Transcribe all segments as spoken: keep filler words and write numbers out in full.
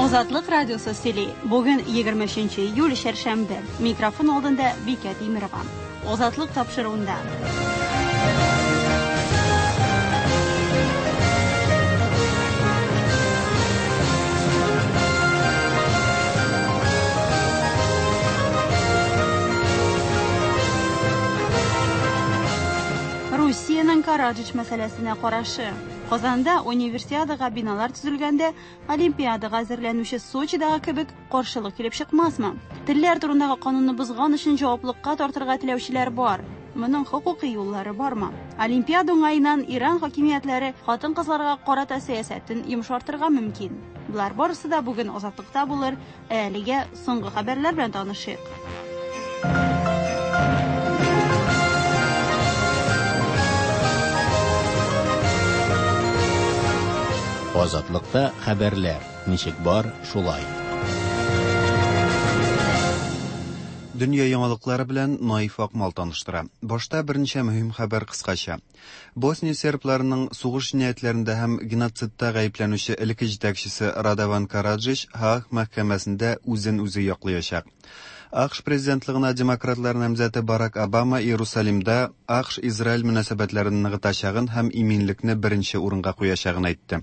Азатлык радиосы сөйли. Бүген егерме өченче июль, чәршәмбе. Микрофон алдында Бикә Тимирова. Азатлык тапшыруында. Русиянең Караджич мәсьәләсенә карашы. Казанда универсиадага биналар төзелгәндә Олимпиадага әзерләнүче Сочидагы кебек каршылык килеп чыкмасмы? Телләр турындагы канунны бозган өчен җаваплылыкка тартырга теләүчеләр бар. Моның хокукый юллары бармы? Олимпиада уңаеннан Иран хакимиятләре хатын-кызларга карата сәясәтен йомшартырга мөмкин. Болар барысы да бүген Азатлыкта булыр. Ә әлегә соңгы хәбәрләр белән танышыйк. Азатлыкта хәбәрләр ничек бар, шулай. Дөнья яңалыклары белән Наиф Акмал таныштыра. Башта берничә мөһим хәбәр кыскача. Босния сербларының сугыш җинаятьләрендә һәм геноцидта гаепләнүче элекке җитәкчесе Радован Караджич Һааг мәхкәмәсендә үзен үзе яклаячак. АКШ президентлыгына демократлар намзәте Барак Обама Иерусалимда АКШ-Израиль мөнәсәбәтләрен ныгытачагын һәм иминлекне беренче урынга куячагын әйтте.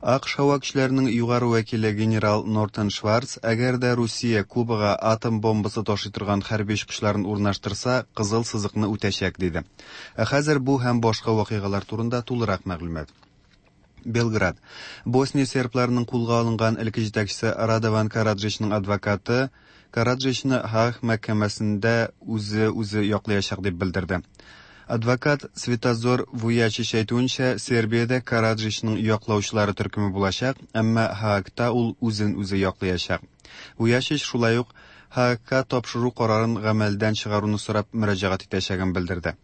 АКШ һава көчләренең югары вәкиле генерал Нортон Шварц, әгәр дә Русия Кубага атом бомбасы ташый торган хәрби очкычларын урнаштырса, кызыл сызыкны үтәчәк, диде. Ә хәзер бу һәм башка вакыйгалар турында тулырак мәгълүмат. Белград. Босния сербларының кулга алынган элекке җитәкчесе Радован Караджичның адвокаты Караджичны Һааг мәхкәмәсендә үзе үзе яклаячак дип белдерде. Адвокат Светозор Вуячич әйтүенчә, Сербиядә Караджичның яклаучылары төркеме булачак, әмма Һаагта ул үзен үзе яклаячак. Вуячич шулай ук Һаагка тапшыру карарын гамәлдән чыгаруны сорап мөрәҗәгать итәчәген белдерде.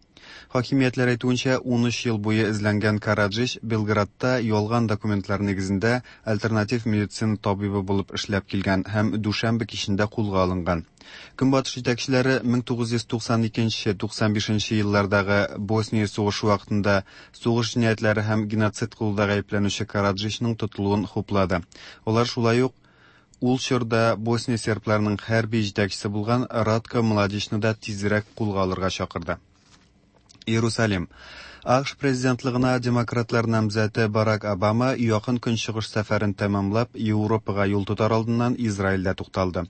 Хакимиятләр әйтүенчә, ун өч ел буе эзләнгән Караджич Белградта ялган документлар нигезендә альтернатив медицина табибы булып эшләп килгән һәм дүшәмбе кичендә кулга алынган. Көнбатыш җитәкчеләре мең тугыз йөз туксан икенче, туксан бишенче еллардагы Босния сугышы вакытында сугыш җинаятьләре һәм геноцид кылуда гаепләнүче Караджичның тотылуын хуплады. Алар шулай ук ул чорда Босния сербларының хәрби җитәкчесе булган Радко Младичны да тизрәк кулга алырга чакырды. Иерусалим. АКШ президентлыгына демократлар намзәте Барак Обама якын көнчыгыш сәфәрен тәмамлап, Европага юл тотар алдыннан Израильдә тукталды.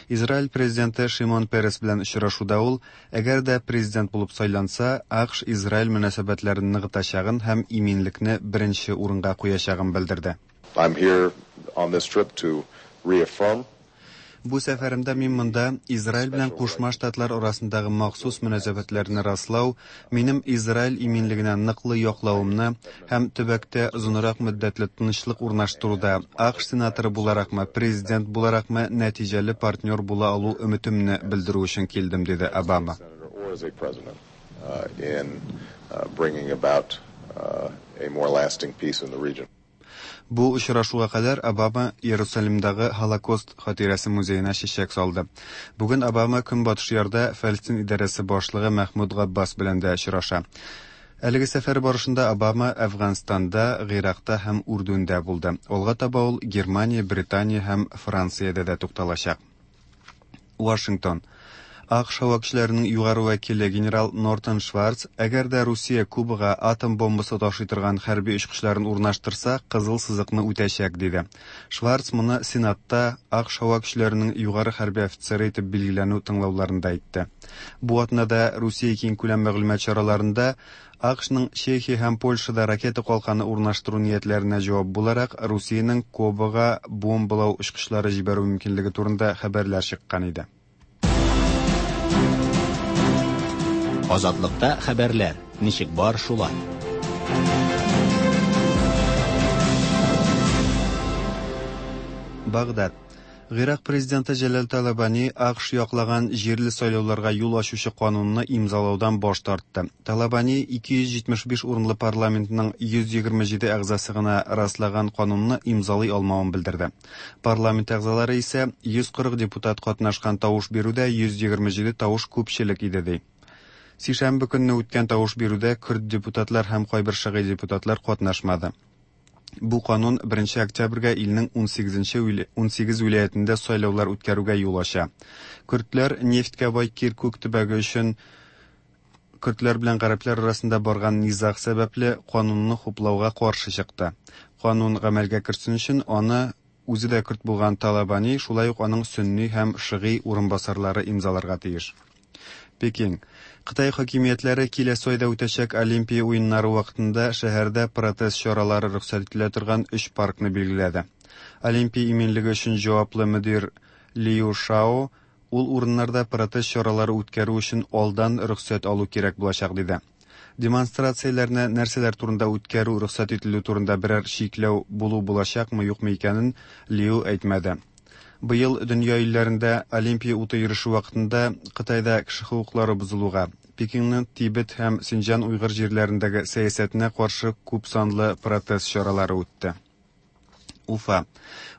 Израиль президенты Шимон Перес белән очрашуда ул, әгәр дә президент булып сайланса, АКШ Израиль мөнәсәбәтләрен ныгытачагын һәм иминлекне беренче урынга куячагын белдерде. I'm here on this trip to reaffirm Бу сәфәремдә мин монда Израиль белән Кушма Штатлар арасындагы махсус мөнәсәбәтләрне раслау, минем Израиль иминлегенә ныклы яклавымны һәм төбәктә озынрак мөддәтле тынычлык урнаштыруда АКШ сенаторы буларакмы, президент буларакмы нәтиҗәле партнер була алу өметемне белдерү өчен килдем, диде Обама. Бу очрашуга кадәр Обама Иерусалимдагы Холокост хатирәсе музеена чәчәк салды. Бүген Обама Көнбатыш ярда Фәлестин идарәсе башлыгы Мәхмүд Габбас белән дә очраша. Әлеге сәфәр барышында Обама Әфганстанда, Гыйракта һәм Үрдүндә булды. Алга таба ул Германия, Британия һәм Франциядә дә тукталачак. Вашингтон. АКШ һава көчләренең югары вәкиле генерал Нортон Шварц, әгәр дә Русия Кубага атом бомбасы ташый торган хәрби очкычларын урнаштырса, кызыл сызыкны үтәчәк, диде. Шварц моны Сенатта АКШ һава көчләренең югары хәрби офицеры итеп билгеләнү тыңлауларында әйтте. Бу атнада Русия киңкүләм мәгълүмат чараларында АКШның Чехия һәм Польшада ракета калканы урнаштыру ниятләренә җавап буларак Русиянең Кубага бомбалау очкычлары җибәрү мөмкинлеге турында хәбәрләр чыккан иде. Азатлыкта хәбәрләр ничек бар, шулай. Багдад. Гыйрак президенты Җәләл Талабани АКШ яклаган җирле сайлауларга юл ачучы канунны имзалаудан баш тартты. Талабани ике йөз җитмеш биш урынлы парламентның йөз егерме җиде әгъзасы гына раслаган канунны имзалый алмавын белдерде. Парламент әгъзалары исә йөз кырык депутат катнашкан тавыш бирүдә йөз егерме җиде тавыш күпчелек иде, ди. Сишәмбе көнне үткән тавыш бирүдә көрд депутатлар һәм кайбер шигый депутатлар катнашмады. Бу канун беренче октябрьгә илнең унсигезенче унсигез вилаятендә сайлаулар үткәрүгә юл ача. Көрдләр нефтькә бай Киркүк төбәге өчен көрдләр белән гарәпләр арасында барган низаг сәбәпле канунны хуплауга каршы чыкты. Канун гамәлгә керсен өчен аны үзе дә көрд булган Талабани, шулай ук аның сөнни һәм шыгый урынбасарлары имзаларга тиеш. Пекин. Кытай хакимиятләре киләсе айда үтәчәк Олимпия уеннары вакытында шәһәрдә протест чаралары рөхсәт ителә торган өч паркны билгеләде. Олимпия иминлеге өчен җаваплы мөдир Лиу Шао ул урыннарда протест чаралары үткәрү өчен алдан рөхсәт алу кирәк булачак диде. Демонстрацияләрне нәрсәләр турында үткәрү рөхсәт ителү турында берәр чикләү булу булачакмы, юкмы икәнен Лиу әйтмәде. Быел дөнья илләрендә Олимпия уты йөреше вакытында Кытайда кеше хокуклары бозылуга, Пекинның Тибет һәм Синҗан уйгыр җирләрендәге сәясәтенә каршы күп санлы протест чаралары үтте. Уфа.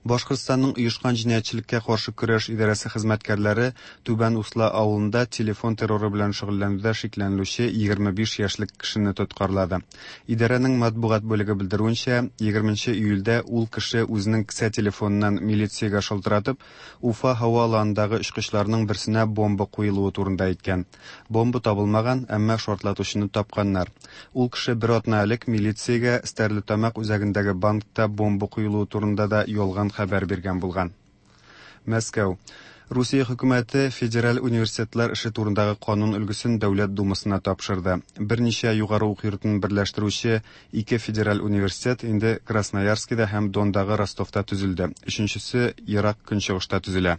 Башкортстанның оешкан җинаятьчелеккә каршы көрәш идарәсе хезмәткәрләре Түбән Усла авылында телефон терроры белән шөгыльләнүдә шикләнелүче егерме биш яшьлек кешене тоткарлады. Идарәнең матбугат бүлеге белдерүенчә, егерменче июльдә ул кеше үзенең кесә телефоныннан милициягә шалтыратып, Уфа һава аланындагы очкычларның берсенә бомба куелуы турында әйткән. Бомба табылмаган, әмма шартлатучыны тапканнар. Ул кеше бер атна элек милициягә Стәрлетамак үзәгендәге банкта бомба куелуы турында да ялган хәбәр биргән булган. Мәскәү. Русия хөкүмәте федераль университетлар эше турындагы канун өлгесен Дәүләт Думасына тапшырды. Берничә югары уку йортын берләштерүче ике федераль университет инде Красноярскида һәм Дондагы Ростовта төзелде. Өченчесе Ерак Көнчыгышта төзелә.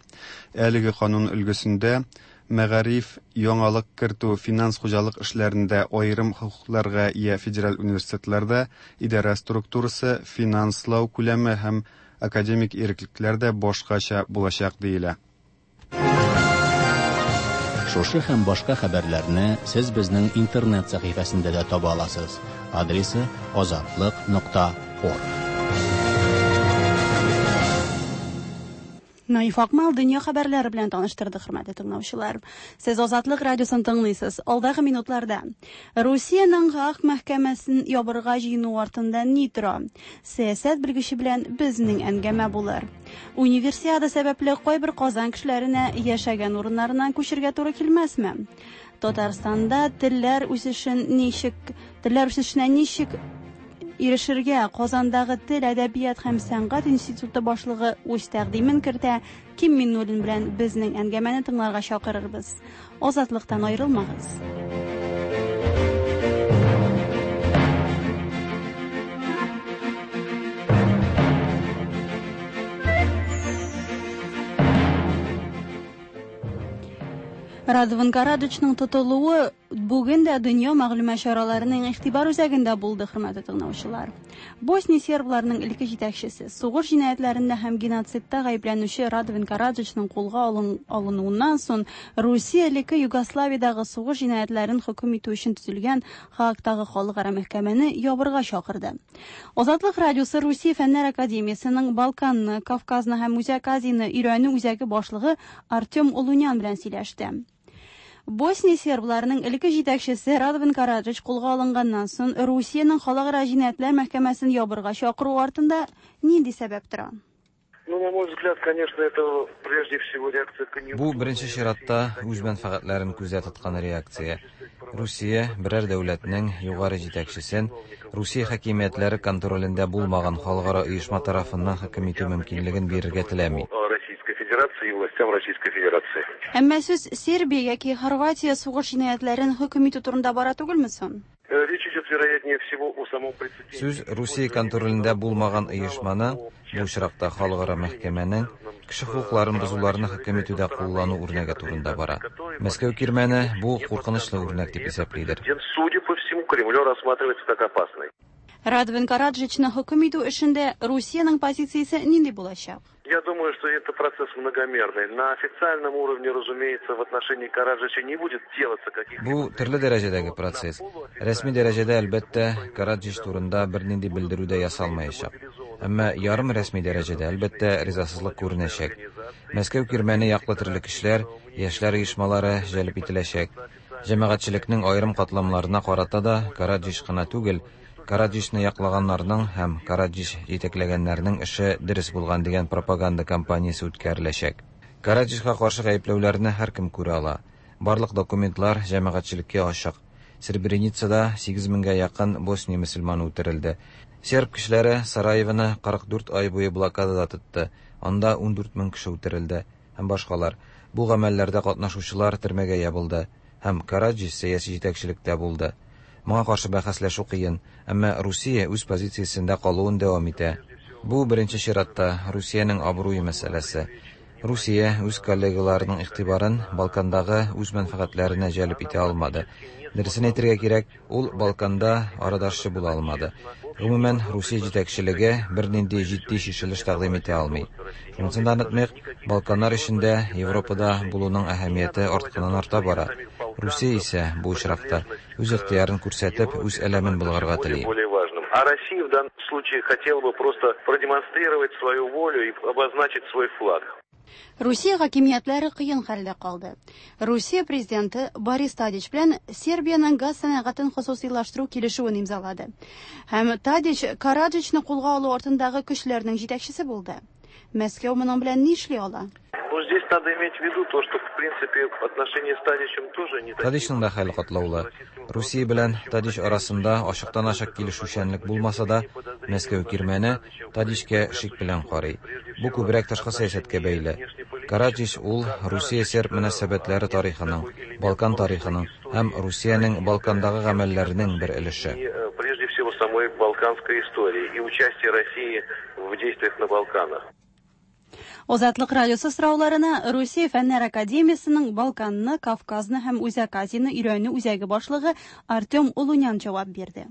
Әлеге канун өлгесендә мәгариф, яңалык кертү, финанс хуҗалык эшләрендә аерым хокукларга ия федераль университетларда идарә структурасы, финанслау күләме һәм академик иреклекләр дә башкача булачак диелә. Шушы һәм башка хәбәрләрне сез безнең интернет сәхифәсендә дә таба аласыз. Адресы азатлык нокта орг. Наиф Акмал дөнья хәбәрләре белән таныштырды, хөрмәтле тыңлаучылар. Сез Азатлык радиосын тыңлыйсыз. Алдагы минутларда Русиянең Гааг мәхкәмәсен ябырга җыену артында ни тора? Сәясәт белгече белән безнең әңгәмә булыр. Универсиада сәбәпле кайбер Казан кешеләренә яшәгән урыннарыннан күчергә туры килмәсме? Татарстанда телләр үсешен ничек, телләр үсешенә ничек ирешергә? Казандагы тел, әдәбият һәм сәнгать институты башлыгы үз тәкъдимен кертә. Ким Миннуллин белән безнең әңгәмәне тыңларга чакырырбыз. Азатлыктан аерылмагыз. Радован Караджичның тотылуы бүген дә дөнья мәгълүмат чараларының игътибар үзәгендә булды, хөрмәтле тыңлаучылар. Босния сербларының элекке җитәкчесе, сугыш җинаятьләрендә һәм геноцидта гаепләнүче Радован Караджичның кулга алынуыннан соң Русия элекке Югославиядәге сугыш җинаятьләрен хөкем итү өчен төзелгән Хаагтагы халыкара мәхкәмәне ябырга чакырды. Азатлык радиосы Русия Фәннәр академиясенең Балканны, Кавказны һәм Үзәк Азияне өйрәнү үзәге башлыгы Артем Олунян белән сөйләште. Босния сербларының элекке җитәкчесе Радован Караджич кулга алынганнан соң Русиянең халыкара җинаятьләр мәхкәмәсен ябырга чакыру артында нинди сәбәп тора? Ну, на мой взгляд, конечно, это прежде всего реакция конъюнктуры. Бу беренче чиратта үз мәнфәгатьләрен күздә тоткан реакция. Русия берәр дәүләтнең югары җитәкчесен Русия хакимиятләре контролендә булмаган халыкара оешма тарафыннан хөкем итү мөмкинлеген бирергә теләми. Российской Федерации и властям Российской Федерации. Әмма сүз Сербия яки Хорватия сугыш җинаятьләрен хөкем итү турында бара түгелме соң? Речь идет, вероятнее всего, о самом прецеденте. Сүз Русия контролендә булмаган оешманы, бу очракта халыкара мәхкәмәнең кеше хокукларын бозуларны хөкем итүдә куллану үрнәге турында бара. Мәскәү кирмәне бу куркынычлы үрнәк дип исәплидер. Судя по всему, Кремлю рассматривается как опасный. Радован Караджичны хөкем итү эшендә Русиянең позициясе нинди булачак? Я думаю, что это процесс многомерный. На официальном уровне, разумеется, в отношении Караджича не будет делаться каких-либо... Бу төрле дәрәҗәдәге процесс. Рәсми дәрәҗәдә, әлбәттә, Караджич турында бернинди белдерү дә ясалмаячак. Әмма ярым рәсми дәрәҗәдә, әлбәттә, ризасызлык күренәчәк. Мәскәү кирмәне яклы төрле кешеләр, яшьләр оешмалары җәлеп ителәчәк. Җәмәгатьчелекнең аерым катламнарына карата да Караджич кына түгел, Караджичны яклаганнарның һәм Караджич җитәкләгәннәрнең эше дөрес булган дигән пропаганда кампаниясе үткәреләчәк. Караджичка каршы гаепләүләрне һәркем күрә ала. Барлык документлар җәмәгатьчелеккә ачык. Сребреницада сигез меңгә якын Босния мөселманы үтерелде. Серб кешеләре Сараевоны кырык дүрт ай буе блокадада тотты. Анда ундүрт мең кеше үтерелде һәм башкалар. Бу гамәлләрдә катнашучылар төрмәгә ябылды һәм Караджич сәяси җитәкчелектә булды. Моңа каршы бәхәсләшү кыен, әмма Русия үз позициясендә калуын дәвам итә. Бу беренче чиратта Русиянең абруе мәсьәләсе. Русия үз коллегаларының игътибарын Балкандагы үз мәнфәгатьләренә җәлеп итә алмады. Дөресен әйтергә кирәк, ул Балканда арадашчы була алмады. Гомумән, Русия җитәкчелеге бернинди җитди чишелеш тәкъдим итә алмый. Шунысын да онытмыйк, Балканнар эчендә Европада булуның әһәмияте артканнан арта бара. Русия исә бу очракта үз ихтыярын күрсәтеп, үз әләмен булгарга тели. А Россия в данном случае хотела бы просто продемонстрировать свою волю и обозначить свой флаг. Русия хакимиятләре кыен хәлдә калды. Русия президенты Борис Тадич белән Сербиянең газ сәнәгатен хосусыйлаштыру килешүен имзалады. Һәм Тадич Караджичны кулга алу артындагы көчләрнең җитәкчесе булды. Мәскәү моның белән ни эшли ала? Ну, здесь надо иметь в виду то, что, в принципе, отношения с Тадичем тоже не такие. Тадичның да хәле катлаулы. Русия белән Тадич арасында ачыктан-ачык килешүчәнлек булмаса да, Мәскәү кирмәне Тадичкә шик белән карый. Бу күбрәк тышкы сәясәткә бәйле. Караджич ул Русия-серб мөнәсәбәтләре тарихының, Балкан тарихының һәм Русиянең Балкандагы гамәлләренең бер өлеше. Прежде всего самой балканской истории и участие России в действиях на Балканах. Азатлык радиосы сорауларына Русия Фәннәр Академиясының Балканны, Кавказны һәм Үзәк Азияне өйрәнү үзәге башлыгы Артем Улунян җавап бирде.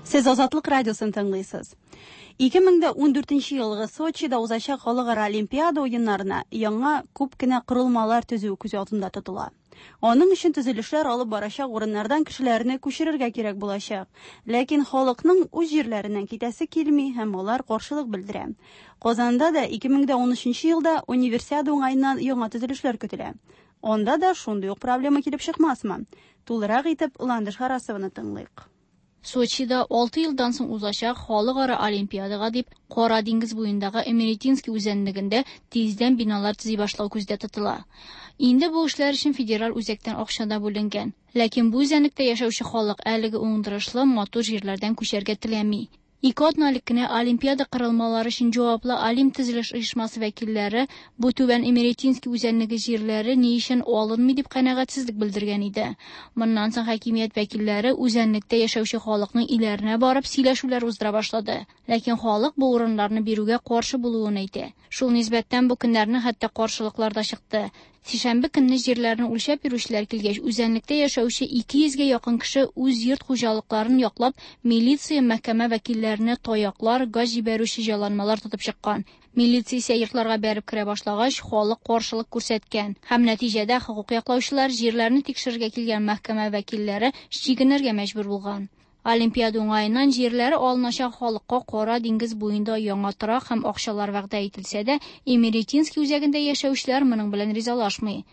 Сез Азатлык радиосын тыңлыйсыз. Ике мең дә ундүртенче елгы Сочида узачак халыкара Олимпиада уеннарына яңа күп кенә корылмалар төзү күз алдында тотыла. Аның өчен төзелешләр алып барачак урыннардан кешеләрне күчерергә кирәк булачак. Ләкин халыкның үз җирләреннән китәсе килми һәм алар каршылык белдерә. Казанда да ике мең дә унөченче елда универсиада уңаеннан яңа төзелешләр көтелә. Анда да шундый ук проблема килеп чыкмасмы? Тулырак итеп Ландыш Харасованы тыңлыйк. Сочида алты елдан соң узачак халыкара Олимпиадага дип Кара диңгез буендагы Эмеретинский үзәнлегендә тиздән биналар төзи башлау күздә тотыла. Инде бу эшләр өчен федераль үзәктән акча да бүленгән. Ләкин бу үзәнлектә яшәүче халык әлеге уңдырышлы матур җирләрдән күчәргә теләми. Ике атна элек кенә Олимпиада корылмалары өчен җаваплы Олимп төзелеш оешмасы вәкилләре бу түбән Эмеретинский үзәнлеге җирләре ни өчен алынмый дип канәгатьсезлек белдергән иде. Моннан соң хакимият вәкилләре үзәнлектә яшәүче халыкның өйләренә барып сөйләшүләр уздыра башлады. Ләкин халык бу урыннарны бирүгә каршы булуын әйтә. Шул нисбәттән бу көннәрне хәтта каршылыклар да чыкты. Сишәмбе көнне җирләрне үлчәп йөрүчеләр килгәч, үзәнлектә яшәүче ике йөзгә якын кеше үз йорт хуҗалыкларын яклап, милиция, мәхкәмә вәкилләренә таяклар, газ җибәрүче җайланмалар тотып чыккан. Милиция исә йортларга бәреп керә башлагач, халык каршылык күрсәткән. Һәм нәтиҗәдә хокук яклаучылар җирләрне тикшерергә килгән мәхкәмә вәкилләре чигенергә мәҗбүр булган. Олимпиада уңаеннан җирләре алыначак халыкка Кара диңгез буенда яңа торак һәм акчалар вәгъдә ителсә дә, Эмеретинский үзәгендә яшәүчеләр моның белән ризалашмый.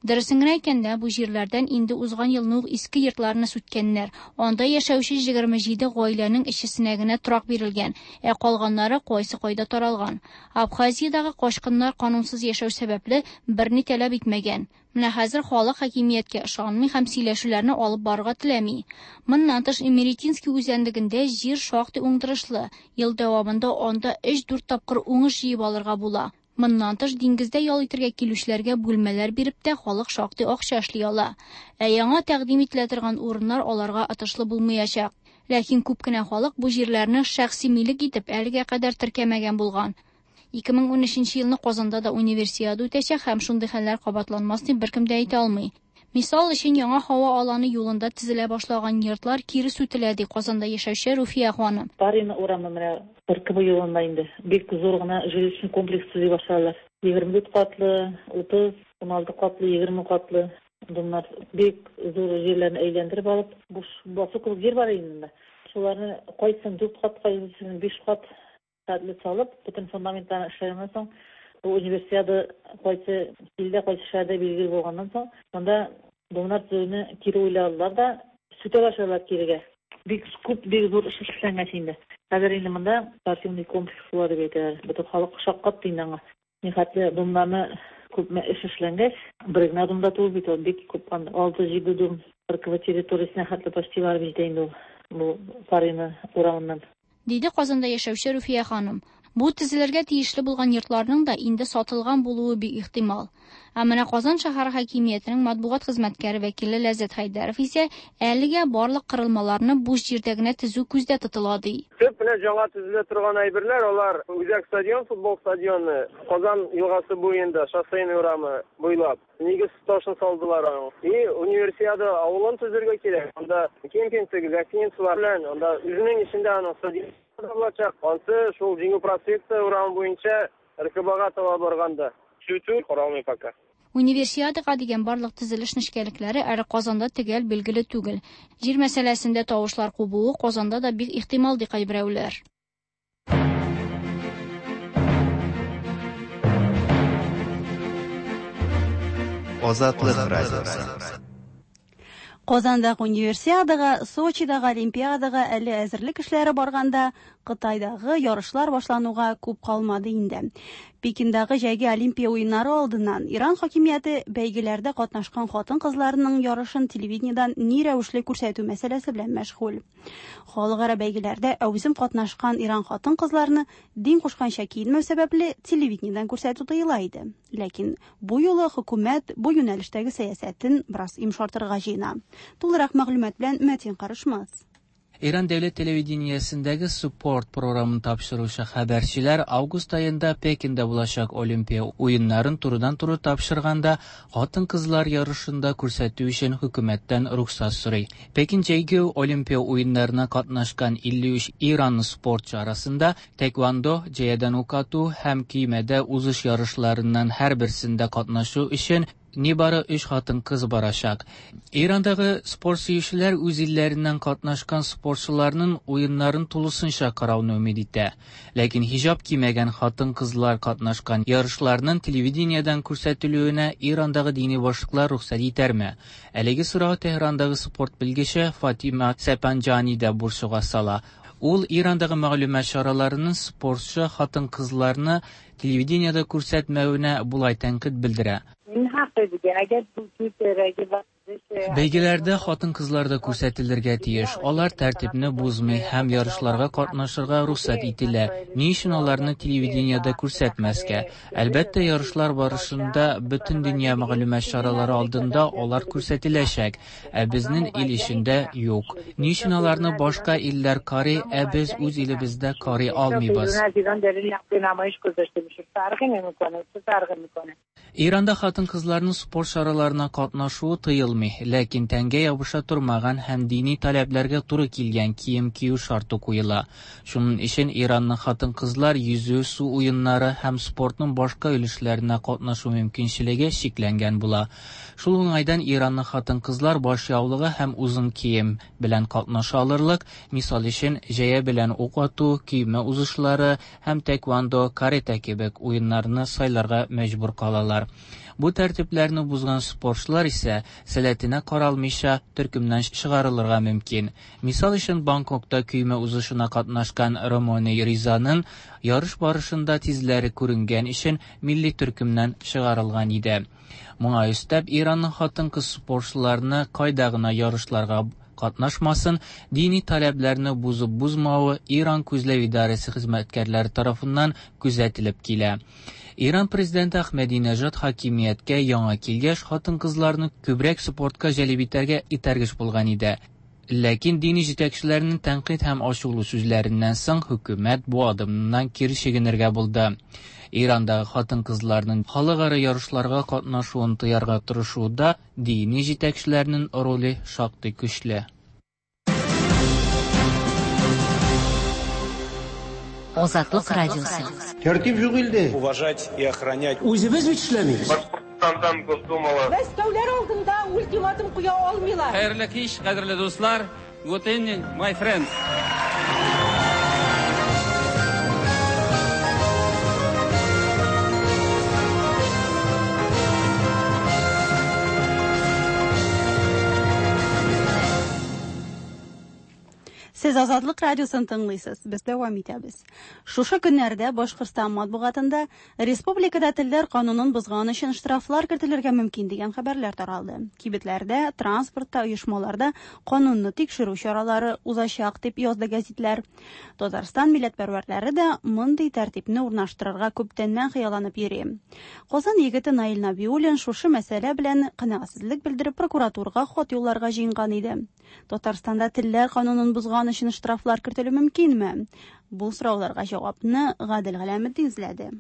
Дөресен генә әйткәндә, бу җирләрдән инде узган елны ук иске йортларны сүткәннәр. Анда яшәүче егерме җиде гаиләнең өчесенә генә торак бирелгән, ә калганнары кайсы кайда таралган. Абхазиядагы качкыннар канунсыз яшәү сәбәпле берни таләп итмәгән. Менә хәзер халык хакимияткә ышанмый һәм сөйләшүләрне алып барырга теләми. Моннан тыш Эмеретинский үзәнлегендә җир шактый уңдырышлы. Ел дәвамында анда өч-дүрт тапкыр уңыш җыеп алырга була. Моннан тыш диңгездә ял итәргә килүчеләргә бүлмәләр биреп тә халык шактый акча эшли ала. Ә яңа тәкъдим ителә торган урыннар аларга отышлы булмаячак. Ләкин күп кенә халык бу җирләрне шәхси милек итеп әлегә кадәр теркәмәгән булган. Ике мең унөченче елны Казанда да универсиада үтәчәк һәм шундый хәлләр кабатланмас дип беркем дә әйтә алмый. Мисал өчен яңа һава аланы юлында төзелә башлаган йортлар кире сүтелә, ди Казанда яшәүче Руфия ханым. Парина урамы менә Парковый юлында инде бик зур гына жилищный комплекс төзи башладылар. Егерме дүрт катлы, утыз, уналты катлы, егерме катлы. Bunlar бик зур җирләрне әйләндереп алып, буш басу кебек җир бар инде. Шуларны кайсын дүрт кат, кайсын биш кат хәтле салып, бөтен фундаментларны эшләгәннән соң, бу универсиада кайсы илдә, кайсы шәһәрдә билгеле булганнан соң, монда домнар төзүне кире уйладылар да, сүтә башладылар кирегә. Бик күп, бик зур эш эшләнгән инде. Хәзер инде монда спортивный комплекс була дип әйтәләр. Бөтен халык шаккатты инде аңа. Нихәтле домнарны күпме эш эшләнгәч, бер генә домда түгел бит ул, бик күп, алты-җиде дом РКБ территориясенә хәтле почти барып җитә инде ул, бу Фарина урамыннан. Диде Казанда яшәүче Руфия ханым. Бу төзелергә тиешле булган йортларның да инде сатылган булуы бик ихтимал. Ә менә Казан шәһәре хакимиятенең матбугат хезмәткәре вәкиле Ләззәт Хәйдәров исә әлегә барлык кырылмаларны буш җирдә генә төзү күздә тотыла ди. Төп менә яңа төзелә торган әйберләр алар Үзәк стадион, футбол стадионы, Казан елгасы буенда, Шоссейный урамы буйлап нигез ташын салдылар аның. И универсиада авылын төзергә кирәк. Анда кемпинг, гостиницалар белән, анда үзенең эчендә аның стадион булачак. Ансы шул Җиңү проспекты урамы буенча РКБга таба барганда. Сүтү каралмый пока. Универсиадага дигән барлык төзелеш нечкәлекләре әле Казанда төгәл билгеле түгел. Җир мәсьәләсендә тавышлар кубуы Казанда да бик ихтимал ди кайберәүләр. Азатлык радиосы. Казандагы универсиадага, Сочидагы олимпиадага әле әзерлек эшләре барганда, Кытайдагы ярышлар башлануга күп калмады инде. Пекиндагы җәйге олимпия уеннары алдыннан Иран хакимияте бәйгеләрдә катнашкан хатын-кызларның ярышын телевидениедән ни рәвешле күрсәтү мәсьәләсе белән мәшгуль. Халыкара бәйгеләрдә әүзем катнашкан Иран хатын-кызларны дин кушканча киенмәү сәбәпле телевидениедән күрсәтү тыела иде. Ләкин бу юлы хөкүмәт бу юнәлештәге сәясәтен бераз йомшартырга җыена. Тулырак мәгълүмат белән Мәтин Карышмас. Иран дәүләт телевидениесендәге спорт програмын тапшыручы хәбәрчеләр август аенда Пекинда булачак Олимпия уеннарын турыдан-туры тапшырганда хатын-кызлар ярышында күрсәтү өчен хөкүмәттән рөхсәт сорый. Пекин җәйге Олимпия уеннарына катнашкан илле өч иранлы спортчы арасында тэквондо, җәядән ук ату һәм көймәдә узыш ярышларыннан һәрберсендә катнашу өчен нибары өч хатын-кыз барачак. Ирандагы спорт сөючеләр үз илләреннән катнашкан спортчыларның уеннарын тулысынча карауны өмид итә. Ләкин хиҗап кимәгән хатын-кызлар катнашкан ярышларның телевидениедән күрсәтелүенә Ирандагы дини башлыклар рөхсәт итәрме? Әлеге сорау Тәһрандагы спорт белгече Фатима Сәпанҗани да борчуга сала. Ул Ирандагы мәгълүмат чараларының спортчы хатын-кызларны телевидениедә күрсәтмәвенә булай тәнкыйть белдерә. Бәйгеләрдә хатын-кызлар да күрсәтелергә тиеш. Алар тәртипне бозмый һәм ярышларга катнашырга рөхсәт ителә. Ни өчен аларны телевидениедә күрсәтмәскә? Әлбәттә, ярышлар барышында бөтен дөнья мәгълүмат чаралары алдында алар күрсәтеләчәк, ә безнең ил эчендә юк. Ни өчен аларны башка илләр карый, ә без үз илебездә карый алмыйбыз? Иранда хатын-кызларның спорт чараларына катнашуы тыелмый, ләкин тәнгә ябыша тормаган һәм дини таләпләргә туры килгән кием кию шарты куела. Шуның өчен Иранның хатын-кызлар йөзү, су уеннары һәм спортның башка өлешләренә катнашу мөмкинчелеге чикләнгән була. Шул уңайдан Иранның хатын-кызлар баш яулыгы һәм озын кием белән катнаша алырлык, мисал өчен җәя белән ук ату, көймә узышлары һәм тэквондо, каратэ кебек уеннарны сайларга мәҗбүр калалар. Бу тәртипләрне бузган спортчылар исә сәләтенә каралмыйча төркемнән чыгарылырга мөмкин. Мисал өчен Бангкокта көймә узышына катнашкан Ромоне Ризаның ярыш барышында тизләре күренгән өчен милли төркемнән чыгарылган иде. Моңа өстәп Иранның хатын-кыз спортчыларны кайда гына ярышларга катнашмасын, дини таләпләрне бузып бузмавы Иран күзләү идарәсе хезмәткәрләре тарафыннан күзәтелеп килә. Иран президенты Ахмединежад хакимияткә яңа килгәч, хатын-кызларны күбрәк спортка җәлеп итәргә этәргеч булган иде. Ләкин дини җитәкчеләрнең тәнкыйть һәм ачулы сүзләреннән соң хөкүмәт бу адымнан кире чигенергә булды. Ирандагы хатын-кызларның халыкара ярышларга катнашуын тыярга тырышуда дини җитәкчеләрнең роле шактый көчле. Азатлык радиосы. Тәртип юк илдә. Уважать и охранять. Үзебез бит эшләмибез. Башкортстандан Госдумала. Мәскәүләр алдында ультиматум куя алмыйлар. Хәерле кич, кадерле дуслар. Good evening, my friends. Сез Азатлык радиосын тыңлыйсыз. Без дәвам итәбез. Шушы көннәрдә Башкортстан матбугатында республикада телләр канунын бозган өчен штрафлар кертелергә мөмкин дигән хәбәрләр таралды. Кибетләрдә, транспортта, оешмаларда канунны тикшерү чаралары узачак дип язды гәзитләр. Татарстан милләтпәрвәрләре дә мондый тәртипне урнаштырырга күптәннән хыялланып йөри. Казан егете Наил Набиуллин шушы мәсьәлә белән канәгатьсезлек белдереп прокуратурага хат юлларга җыенган иде. Татарстанда телләр канунын бозган өчен штрафлар кертелү мөмкинме? Бу сорауларга җавапны Гадел Галәметдин эзләде.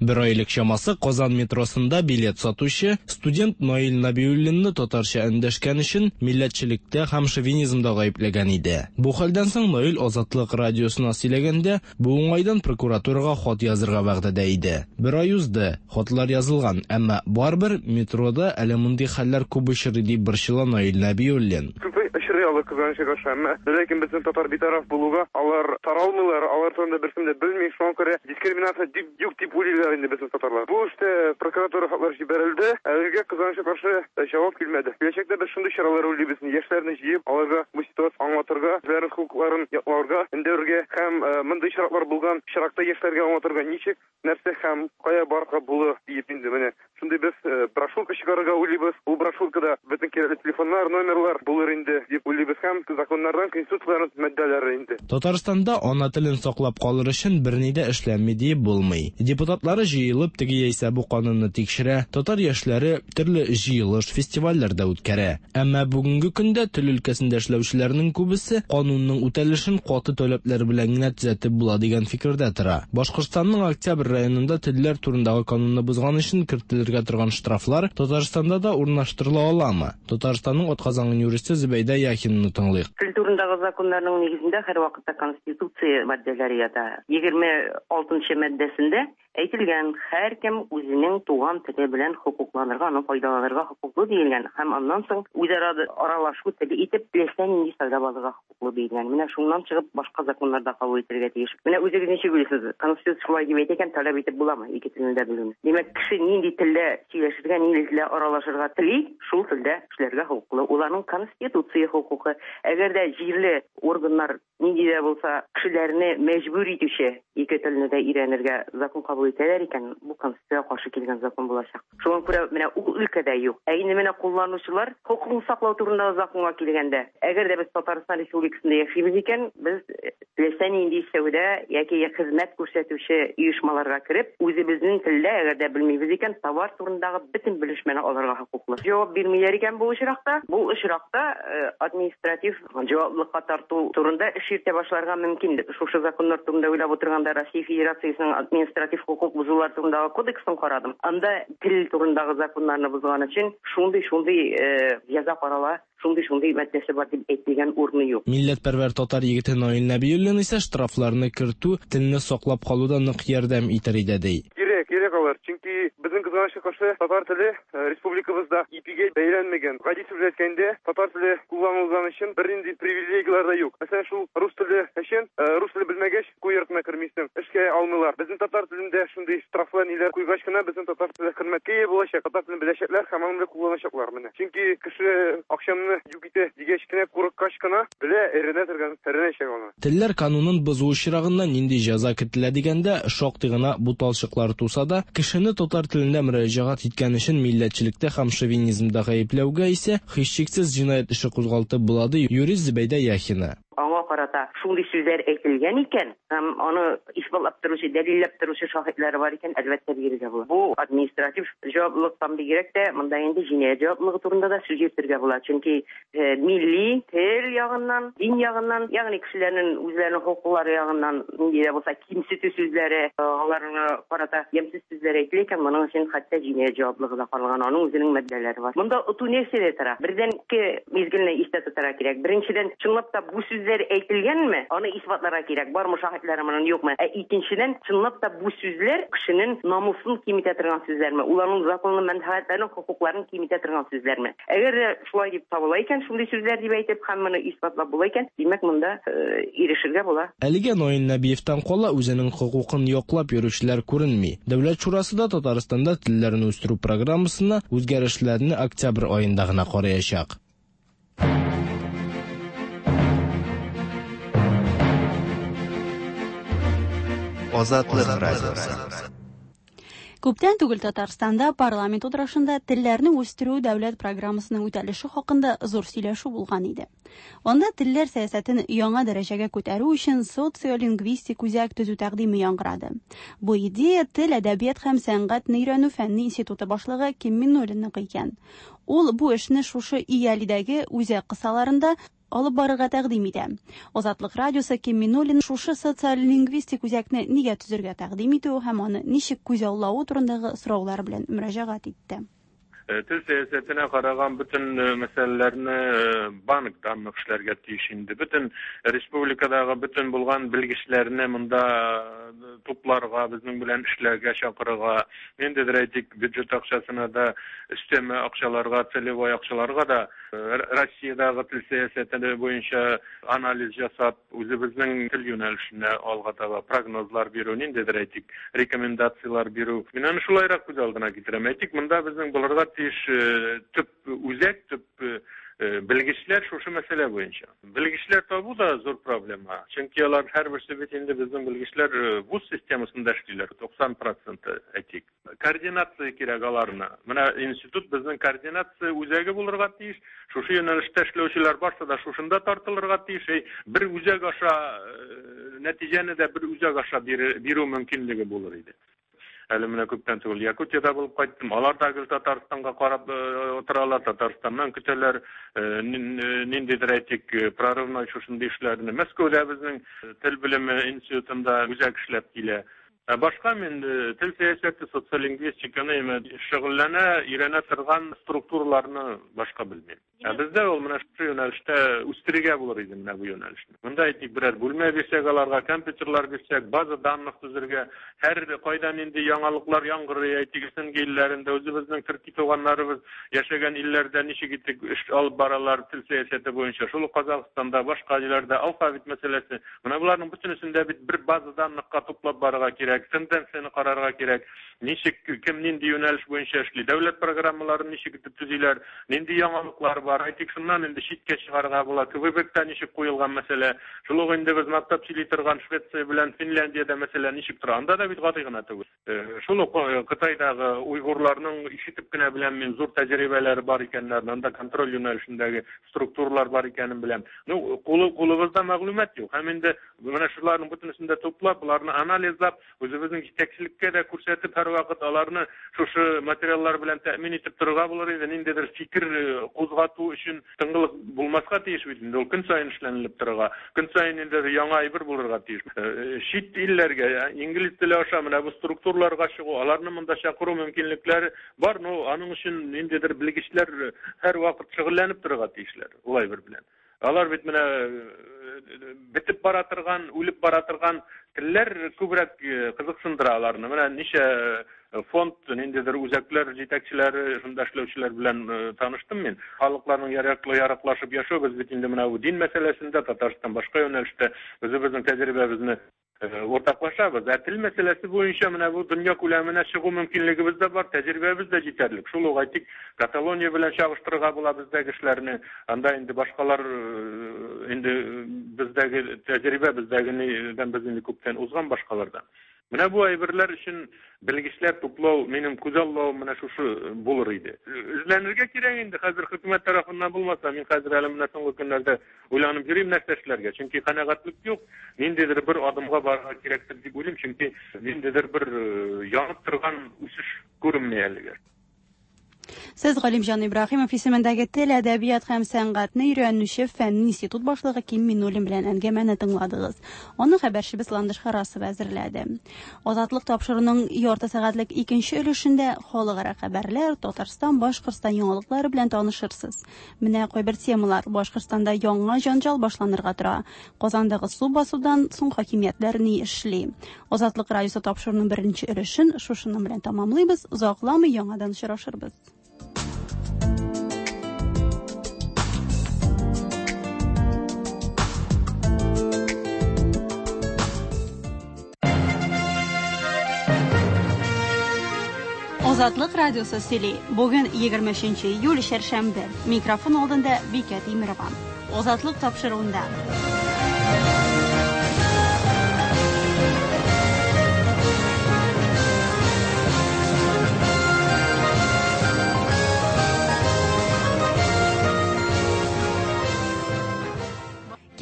Бер айлык чамасы Казан метросында билет сатучы студент Наил Набиуллинны татарча эндәшкән өчен милләтчелектә һәм шовинизмда гаепләгән иде. Бу хәлдән соң Наил Азатлык радиосына сөйләгәндә, бу уңайдан прокуратурага хат язырга вәгъдә иде. Бер ай узды, хатлар язылган, әмма барыбер метрода әле мондый хәлләр күп очрый дип борчыла Наил Набиуллин. Очрый алар кызганычка каршы, әмма ләкин безнең татар битараф булуга алар таралмыйлар, алар турында берсен дә белми, шуңа күрә дискриминация дип юк дип уйлыйлар инде безнең татарлар. Бу эштә прокуратура хатлар җибәрелде, әлегә кызганычка каршы җавап килмәде. Киләчәктә без шундый чаралар уйлыйбыз, яшьләрне җыеп, аларга бу ситуация аңлатырга, үзләренең хокукларын якларга, өндәргә һәм мондый чаралар булган очракта яшьләргә аңлатырга ничек, нәрсә һәм кая барырга була диеп инде менә шундый без брошюрка чыгарырга уйлыйбыз. Ул брошюркада бөтен кирәкле телефоннар, номерлар булыр инде дип уйлыйбыз һәм законнардан, конституцияләрнең маддәләре инде. Татарстанда ана телен саклап калыр өчен берни дә эшләнми диеп булмый. Депутатлары җыелып теге яисә бу канунны тикшерә, татар яшьләре төрле җыелыш, фестивальләр дә үткәрә. Әмма бүгенге көндә тел өлкәсендә эшләүчеләрнең күбесе канунның үтәлешен каты таләпләр белән генә төзәтеп була дигән фикердә тора. Башкортстанның Октябрь районында телләр турындагы канунны бозган өчен кертелергә торган штрафлар Татарстанда да урнаштырыла аламы? Татарстанның атказанган юристы Зөбәйдә Яхинаны тыңлыйк. Тел турындагы законнарның нигезендә һәрвакытта Конституция маддәләре ята. Егерме алтынчы маддәсендә әйтелгән, һәркем үзенең туган теле белән хокукланырга, аны файдаланырга хокуклы диелгән һәм аннан соң үзара аралашу теле итеп теләсә нинди сайлап алырга хокуклы диелгән. Менә шуннан чыгып башка законнар да кабул ителергә тиеш. Менә үзегез ничек уйлыйсыз? Конституция шулай дип әйтә икән, таләп итеп буламы ике телне дә белүне? Димәк, кеше нинди телдә сөйләшергә, нинди телдә аралашырга тели, шул телдә эшләргә хокуклы. Ул аның конституция хокукы. Әгәр дә җирле органнар нинди дә булса кешеләрне мәҗбүр итүче ике телне дә өйрәнергә закон кабул итәләр икән, бу конституциягә каршы килгән закон булачак. Шуңа күрә менә ул өлкәдә юк. Ә инде менә кулланучылар хокукын саклау турындагы законга килгәндә, әгәр дә без Татарстан Республикасында яшибез икән, без теләсә нинди сәүдә яки хезмәт күрсәтүче оешмаларга кереп, үзебезнең телдә әгәр дә белмибез икән, товар турындагы бөтен белешмәне алырга хокуклы. Җавап бирмиләр икән бу очракта, бу очракта административ җаваплылыкка тарту турында эш йөртә башларга мөмкин. Шушы законнар турында уйлап утырганда Россия Федерациясенең административ хокук бозулар турындагы кодексын карадым. Анда тел турындагы законнарны бозган өчен шундый-шундый җәза карала, шундый-шундый маддәсе бар дип әйтелгән урыны юк. Милләтпәрвәр татар егете Наил Набиуллин исә штрафларны кертү телне саклап калуда нык ярдәм итәр иде ди. Кирәк, кирәк алар, чөнки безнең кызганычка каршы татар теле республикабызда ипигә бәйләнмәгән. Гади сүз әйткәндә, татар теле кулланылган өчен бернинди привилегияләр дә юк. Мәсәлән, шул рус теле өчен, рус теле белмәгәч, уку йортына кермисең, эшкә алмыйлар. Безнең татар телендә шундый штрафлар ниләр куйгач кына безнең татар теле хөрмәткә ия булачак, татар телен беләчәкләр һәм аны кулланачаклар менә. Чөнки кеше акчамны юк итә дигәч кенә, курыккач кына белә, өйрәнә торган, өйрәнәчәк аны. Телләр канунын бозу очрагында нинди җәза кертелә дигәндә, шактый гына буталчыклар туса да, кешене татар телендә мөрәҗәгать иткән өчен милләтчелектә һәм шовинизмда гаепләүгә исә һичшиксез җинаять эше кузгалтып була, ди юрист Зөбәйдә Яхина. Аңа карата шундый сүзләр әйтелгән икән, һәм аны исбатлап торучы, дәлилләп торучы шаһитлар бар икән, әлбәттә бирергә була. Бу административ җаваплылыктан бигрәк тә, монда инде җинаять җаваплылыгы турында да сүз йөртергә була. Чөнки милли тел ягыннан, дин ягыннан, ягъни кешеләрнең үзләренең хокуклары ягыннан нинди дә булса кимсетү сүзләре, аларга карата ямьсез сүзләр әйтелә икән, моның өчен хәтта җинаять җаваплылыгы да каралган, аның үзенең маддәләре бар. Монда оту нәрсәдә тора? Бердән ике мизгелне истә тотарга кирәк. Беренчедән, чынлап та бу сүзләр әйтелгән әйтелгәнме, аны исбатларга кирәк, бармы шаһитлары моның, юкмы. Ә икенчедән, чынлап та бу сүзләр кешенең намусын киметә торган сүзләрме, уларның законлы мәнфәгатьләрен, хокукларын киметә торган сүзләрме? Әгәр дә шулай дип табыла икән, шундый сүзләр дип әйтеп һәм моны исбатлап була икән, димәк, монда ирешергә була. Әлегә Наил Нәбиевтән кала үзенең хокукын яклап йөрүчеләр күренми. Дәүләт шурасы да Татарстанда телләрне үстерү программасына үзгәрешләрне октябрь аенда гына караячак. Азатлык радиосы. Күптән түгел Татарстанда парламент утырышында телләрне үстерү дәүләт программасының үтәлеше хакында зур сөйләшү булган иде. Анда телләр сәясәтен яңа дәрәҗәгә күтәрү өчен социолингвистик үзәк төзү тәкъдиме яңгырады. Бу идея тел, әдәбият һәм сәнгатьне өйрәнү фәнни институты башлыгы Ким Миннуллинныкы икән. Ул бу эшне шушы ИЯЛИдәге үзәк кысаларында алып барырга тәкъдим итә. Азатлык радиосы Ким Миннуллин шушы социолингвистик үзәкне нигә төзергә тәкъдим итүе һәм аны ничек күзаллавы турындагы сораулар белән мөрәҗәгать итте. Тел сәясәтенә караган бөтен мәсьәләләрне банктан эшләргә тиеш инде. Бөтен республикадагы бөтен булган белгечләрне монда тупларга, безнең белән эшләргә чакырырга, ниндидер әйтик бюджет акчасына да, өстәмә акчаларга, целевой акчаларга да Россиядәге тел сәясәте буенча анализ ясап, үзебезнең тел юнәлешенә алга таба прогнозлар бирү, ниндидер әйтик рекомендацияләр бирү. Мин аны шулайрак күз алдына китерәм. Әйтик, монда безнең булырга тиеш төп үзәк, төп белгечләр шушы мәсьәлә буенча. Белгечләр табу да зур проблема. Чөнки алар һәрберсе бит инде безнең белгечләр вуз системасында эшлиләр, туксан процент әйтик. Координация кирәк аларны. Менә институт безнең координация үзәге булырга тиеш. Шушы юнәлештә эшләүчеләр барсы да шушында тартылырга тиеш. Бер үзәк аша нәтиҗәне дә бер үзәк аша бирү мөмкинлеге булыр иде. Әле менә күптән түгел Якутиядә булып кайттым. Алар да гел Татарстанга карап утыралар, Татарстаннан көтәләр ниндидер әйтик прорывной шушындый эшләрне. Мәскәүдә безнең тел белеме институтында үзәк эшләп килә. Ә башка мин тел сәясәте, социолингвистиканы шөгыльләнә, өйрәнә торган структураларны башка белмим. Ә бездә ул менә шушы юнәлештә үстерергә булыр иде менә бу юнәлешне. Монда әйтик берәр бүлмә бирсәк аларга, компьютерлар бирсәк, база данных төзергә, һәр кайда нинди яңалыклар яңгырый, әйтик, СНГ илләрендә үзебезнең төрки туганнарыбыз яшәгән илләрдә ничек итеп эш алып баралар тел сәясәте буенча. Шул ук Казахстанда, башка илләрдә алфавит мәсьәләсе. Менә боларның бөтенесендә бит бер база данныхка туплап барырга кирәк, тенденцияне карарга кирәк. Ничек кем нинди юнәлеш буенча эшли, дәүләт программаларын ничек итеп төзиләр, нинди яңалыклар бар. Әйтик, шуннан инде читкә чыгарга була. Квебекта ничек куелган мәсьәлә. Шул ук инде без мактап сөйли торган Швеция белән Финляндиядә мәсьәлә ничек тора. Анда да бит гади гына түгел. Шул ук Кытайдагы уйгурларның ишетеп кенә беләм мин, зур тәҗрибәләре бар икәннәрен, анда контроль юнәлешендәге структуралар бар икәнен беләм. Ну, кулы кулыбызда мәгълүмат юк. Һәм инде менә шуларның бөтенесен дә туплап, буларны анализлап, үзебезнең җитәкчелеккә дә күрсәтеп, һәрвакыт аларны шушы материаллар белән тәэмин итеп торырга булыр иде. Ниндидер фикер кузгату өчен тынгылык булмаска тиеш бит инде. Ул көн саен эшләнелеп торырга, көн саен инде яңа әйбер булырга тиеш. Чит илләргә, инглиз теле аша менә бу структураларга чыгу, аларны монда чакыру мөмкинлекләре бар. Но аның өчен ниндидер белгечләр һәрвакыт шөгыльләнеп торырга тиешләр ул әйбер белән. Алар бит менә бетеп бара торган, үлеп бара торган телләр күбрәк кызыксындыра аларны. Менә ничә фонд, ниндидер үзәкләр җитәкчеләре, шунда эшләүчеләр белән таныштым мин. Халыкларның яраклы яраклашып яшәү, без бит инде менә бу дин мәсьәләсендә Татарстан башка юнәлештә үзебезнең тәҗрибәбезне уртаклашабыз. Ә тел мәсьәләсе буенча менә бу дөнья күләменә чыгу мөмкинлегебез дә бар, тәҗрибәбез дә җитәрлек. Шул ук әйтик, Каталония белән чагыштырырга була бездәге эшләрне. Анда инде башкалар инде бездәге тәҗрибә бездәгеннән без инде күптән узган башкалардан. Менә бу әйберләр өчен белгечләр туплау, минем күзаллавым менә шушы булыр иде. Эзләнергә кирәк инде хәзер хөкүмәт тарафыннан булмаса, мин хәзер әле менә соңгы көннәрдә уйланып йөрим нәрсә эшләргә. Чөнки канәгатьлек юк, ниндидер бер адымга барырга кирәктер дип уйлыйм, чөнки ниндидер бер янып торган үсеш күренми әлегә. Сез Галимҗан Ибраһимов исемендәге тел, әдәбият һәм сәнгатьне өйрәнүче фәнни институт башлыгы Ким Миннуллин белән әңгәмәне тыңладыгыз. Аны хәбәрчебез Ландыш Харасова әзерләде. Азатлык тапшыруының ярты сәгатьлек икенче өлешендә халыкара хәбәрләр, Татарстан, Башкортстан яңалыклары белән танышырсыз. Менә кайбер темалар. Башкортстанда яңа җанҗал башланырга тора. Казандагы су басудан соң хакимиятләр ни эшли? Азатлык радиосы тапшыруының беренче өлешен шушының белән тамамлыйбыз. Озакламый яңадан очрашырбыз. Азатлык радиосы сөйли. Бүген егерме өченче июль, чәршәмбе. Микрофон алдында Бикә Тимирова. Азатлык тапшыруында.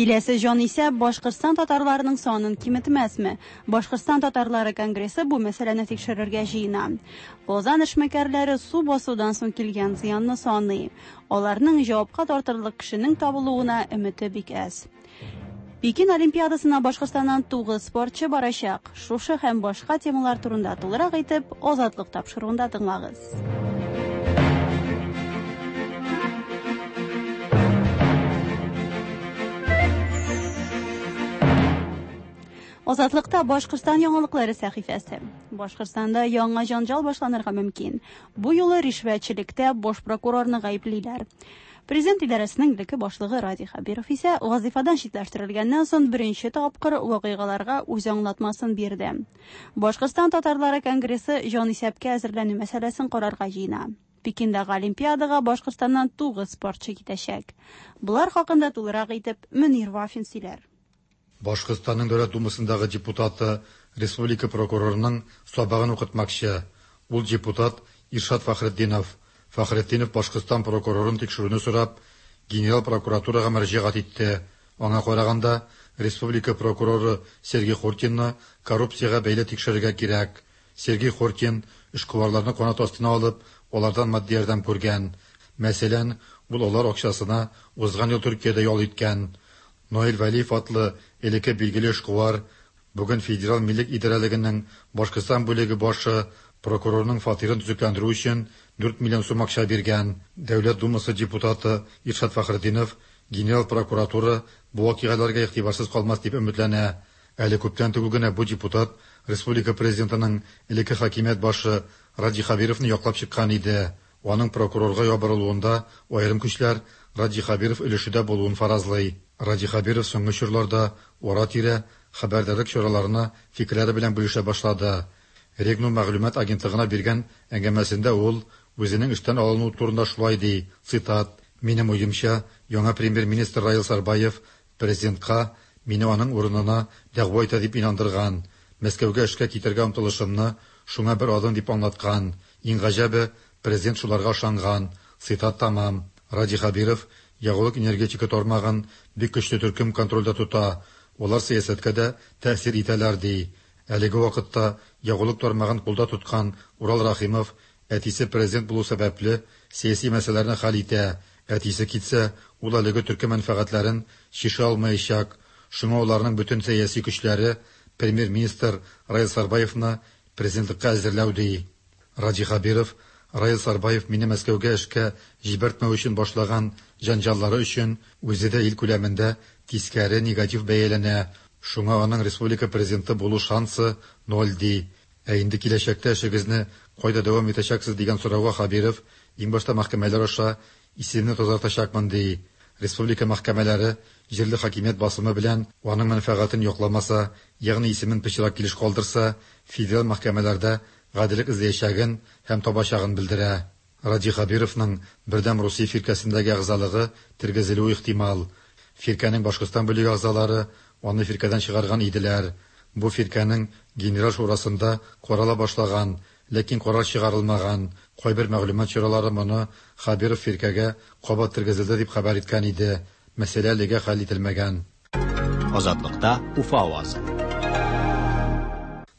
Киләсе җан исә Башкортстан татарларының санын киметмәсме? Башкортстан татарлары конгрессы бу мәсьәләне тикшерергә җыена. Казан эшмәкәрләре су басудан соң килгән зыянны саный. Аларның җавапка тартырлык кешенең табылуына өмете бик әз. Пекин Олимпиадасына Башкортстаннан тугыз спортчы барачак. Шушы һәм башка темалар турында тулырак итеп Азатлык тапшыруында тыңлагыз. Азатлыкта Башкортстан яңалыклары сәхифәсе. Башкортстанда яңа җанҗал башланырга мөмкин. Бу юлы ришвәтчелектә баш прокурорны гаеплиләр. Президент идарәсенең элекке башлыгы Радий Хәбиров исә вазифадан читләштерелгәннән соң беренче тапкыр вакыйгаларга үз аңлатмасын бирде. Башкортстан татарлары конгрессы җанисәпкә әзерләнү мәсьәләсен карарга җыена. Пекиндагы Олимпиадага Башкортстаннан тугыз спортчы китәчәк. Булар хакында тулырак итеп Мөнир Вафин сөйләр. Башкортстанның Дәүләт Думасындагы депутаты республика прокурорының сабагын укытмакчы. Ул депутат Иршат Фахретдинов. Фахретдинов Башкортстан прокурорын тикшерүне сорап, генерал прокуратурага мөрәҗәгать итте. Аңа караганда, республика прокуроры Сергей Хортинны коррупциягә бәйле тикшерергә кирәк. Сергей Хортин эшкуарларны канат астына алып, алардан матди ярдәм күргән. Мәсәлән, ул алар акчасына узган ел Төркиядә ял иткән. Наил Вәлиев атлы элекке билгеле эшкуар бүген Федераль милек идарәлегенең Башкортстан бүлеге башы прокурорның фатирын төзекләндерү өчен дүрт миллион сум акча биргән. Дәүләт Думасы депутаты Иршат Фахретдинов генерал прокуратура бу вакыйгаларга игътибарсыз калмас дип өметләнә. Әле күптән түгел генә бу депутат республика президентының элекке хакимият башы Радий Хәбировны яклап чыккан иде. Аның прокурорга ябырылуында аерым көчләр Радий Хәбиров өлеше дә булуын фаразлый. Радий Хәбиров соңгы чорларда ара-тирә хәбәрдарлык чараларына фикерләре белән бүлешә башлады. Регнум мәгълүмат агентлыгына биргән әңгәмәсендә ул үзенең эштән алынуы турында шулай ди, цитат: "Минем уемча, яңа премьер-министр Раил Сарбаев президентка мине аның урынына дәгъва итә дип инандырган. Мәскәүгә эшкә китәргә омтылышымны шуңа бер адым дип аңлаткан. Иң гаҗәбе, президент шуларга ышанган." Цитат тамам. Радий Хәбиров ягулык энергетика тармагын бик көчле төркем контрольдә тота. Алар сәясәткә дә тәэсир итәләр ди. Әлеге вакытта ягулык тармагын кулда тоткан Урал Рахимов әтисе президент булу сәбәпле сәяси мәсьәләләрне хәл итә. Әтисе китсә, ул әлеге төркем мәнфәгатьләрен чишә алмаячак. Шуңа аларның бөтен сәяси көчләре премьер-министр Раил Сарбаевны президентлыкка әзерләү ди. Радий Хәбиров Раил Сарбаев мине Мәскәүгә эшкә җибәртмәү өчен башлаган җанҗаллары өчен үзе дә ил күләмендә тискәре негатив бәяләнә. Шуңа аның республика президенты булу шансы ноль ди. Ә инде киләчәктә эшегезне кайда дәвам итәчәксез дигән сорауга Хәбиров иң башта мәхкәмәләр аша исемне тазартачакмын ди. Республика мәхкәмәләре җирле хакимият басымы белән аның мәнфәгатен якламаса, ягъни исемен пычрак килеш калдырса, федераль мәхкәмәләрдә гаделлек эзләячәген һәм табачагын белдерә. Радий Хәбировның Бердәм Русия фиркәсендәге әгъзалыгы тергезелүе ихтимал. Фиркәнең Башкортстан бүлеге әгъзалары аны фиркәдән чыгарган иделәр. Бу фиркәнең генерал шурасында карала башлаган, ләкин карар чыгарылмаган. Кайбер мәгълүмат чаралары моны Хәбиров фиркәгә кабат тергезелде дип хәбәр иткән иде. Мәсьәлә әлегә хәл ителмәгән. Азатлыкта Уфа авазы.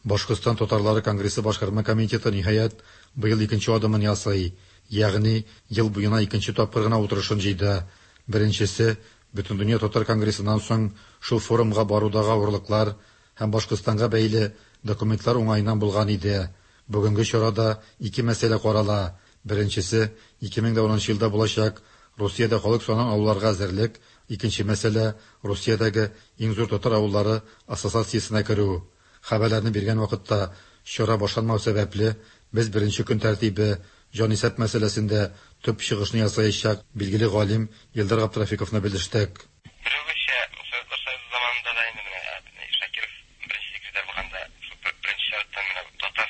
Башкортстан татарлары конгрессы башкарма комитеты ниһаять быел икенче адымын ясый. Ягъни ел буена икенче тапкыр гына утырышын җыйды. Беренчесе Бөтендөнья татар конгрессыннан соң шул форумга барудагы авырлыклар һәм Башкортстанга бәйле документлар уңаеннан булган иде. Бүгенге чарада ике мәсьәлә карала. Беренчесе ике мең унынчы елда булачак Русиядә халык санын алуларга әзерлек. Икенче мәсьәлә Русиядәге иң зур татар авыллары ассоциациясенә керү. Хәбәрләрне биргән вакытта чара башланмау сәбәпле без беренче көн тәртибе җанисәп мәсьәләсендә төп чыгышны ясаячак билгеле галим Илдар Габдрафиковны белештек. Берүгечә Советлар Союзы заманында да инде менә Шакиров беренче секретарь булганда шул беренче чираттан менә татар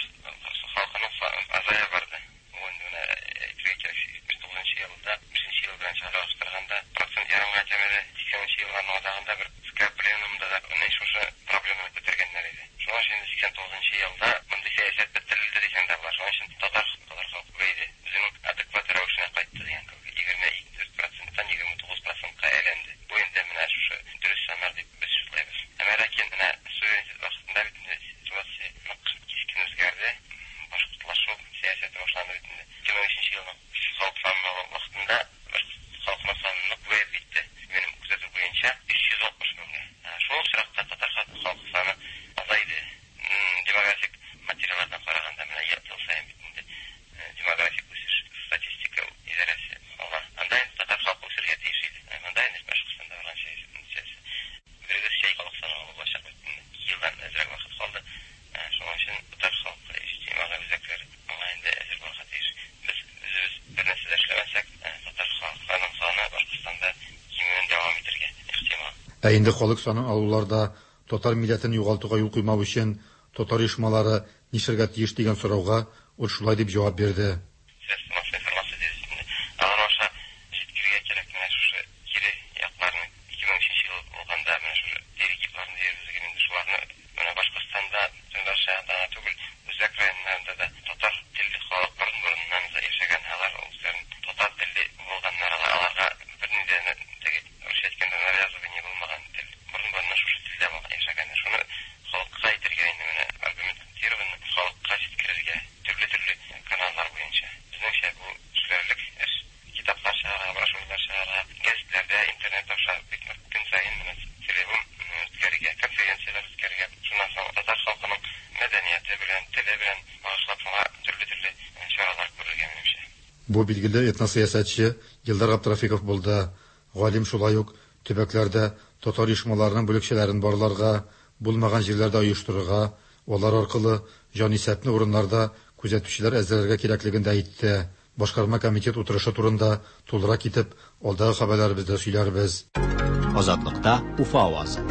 халкының азая барды. Ул инде менә әйтергә кирәк, җитмеш тугызынчы елда бишенче ел белән чагыштырганда процент ярымга кимеде. Сиксәненче елларның азагында бер ЦК пленумында да менә шушы проблеманы күтәргәннәр иде. Шуның өчен инде сиксән тугызынчы елда мондый сәясәт бетерелде дисәң дә була. Шуның өчен татар татар халкы күбәйде. Үзенең адекват рәвешенә кайтты дигән кебек. Егерме дүрт проценттан егерме тугыз процентка әйләнде. Бу инде менә шушы дөрес саннар дип без шутлыйбыз. Әмма ләкин менә суверенитет вакытында бит инде ситуация нык кискен үзгәрде. Башкортлашу сәясәте башланды бит инде. Ике мең өченче елның халык санын алу вакытында башкорт халкының саны нык күбәеп китте. Минем күзәтү буенча өч йөз алтмыш меңгә. Шул ук очракта татар халкы саны азайды. Демографик материаллардан караганда менә ел саен бит инде демографик үсеш статистика идарәсе ала. Анда инде татар халкы үсергә тиеш иде. Монда инде Башкортстанда барган сәясәт. Берегез халык саны алу булачак бит инде. Ике елдан әзрәк вакыт калды. Шуның өчен татар халкы иҗтимагый үзәкләре аңа инде әзер булырга тиеш. Без үзебез бер нәрсә дә эшләмәсәк, татар халкының саны Башкортстанда кимүен дәвам итәргә ихтимал. Ә инде халык санын алуларда татар милләтен югалтуга юл куймау өчен татар оешмалары нишләргә тиеш дигән сорауга ул шулай дип җавап бирде. Средства массовой информации дибез. Алар аша җиткерергә кирәк менә шушы кире якларны. Ике мең өченче ел булганда менә шушы перегибларны дибез инде шуларны менә Башкортстанда, Түбән түгел, үзәк районнарында да татар телле халык борын-борыннан яшәгән, алар үзләрен татар телле булганнар, аларга бернинди теге русча әйткәндә навязывание булмаган тел. Борын-борыннан шушы телдә яшәгәннәр. Шуны халыкка әйтергә инде менә аргументированно халыкка җиткерергә төрле-төрле каналлар буенча. Безнеңчә бу эшләрлек эш. Китаплар чыгарырга, брошюралар чыгарырга, гәзитләрдә, интернет аша бик нык көн саен менә целевым үткәрергә, конференцияләр үткәрергә. Шуннан соң татар халкының мәдәнияте белән, теле белән багышлап шуңа төрле-төрле чаралар күрергә минемчә. Бу билгеле этносәясәтче Илдар Габдрафиков булды. Галим шулай ук төбәкләрдә татар оешмаларының бүлекчәләрен барларга, булмаган җирләрдә оештырырга, алар аркылы җанисәпне урыннарда күзәтүчеләр әзерләргә кирәклеген дә әйтте. Башкарма комитет утырышы турында тулырак итеп алдагы хәбәрләребездә сөйләрбез. Азатлыкта Уфа авазы.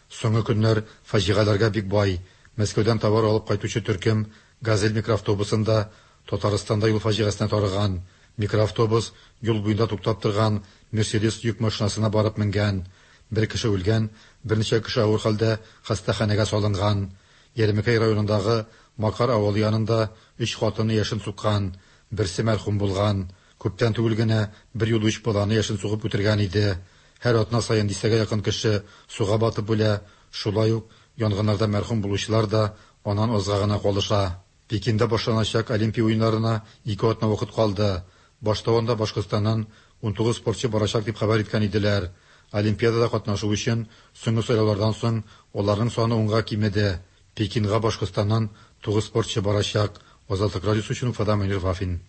Соңгы көннәр фаҗигаләргә бик бай. Мәскәүдән товар алып кайтучы төркем «Газель» микроавтобусында Татарстанда юл фаҗигасенә тарыган. Микроавтобус юл буенда туктап торган «Мерседес» йөк машинасына барып менгән. Бер кеше үлгән, берничә кеше авыр хәлдә хастаханәгә салынган. Ярмәкәй районындагы Макар авылы янында өч хатынны яшен суккан, берсе мәрхүм булган. Күптән түгел генә бер юлы өч баланы яшен сугып үтергән иде. Һәр атна саен дистәгә якын кеше суга батып үлә. Шулай ук янгыннарда мәрхүм булучылар да аннан азга гына калыша. Пекинда башланачак Олимпия уеннарына ике атна вакыт калды. Башта анда Башкортстаннан унтугыз спортчы барачак дип хәбәр иткән иделәр. Олимпиадада катнашу өчен соңгы сайлаулардан соң аларның саны унга кимеде. Пекинга Башкортстаннан тугыз спортчы барачак. Азатлык радиосы өчен Уфадан Мөнир Вафин.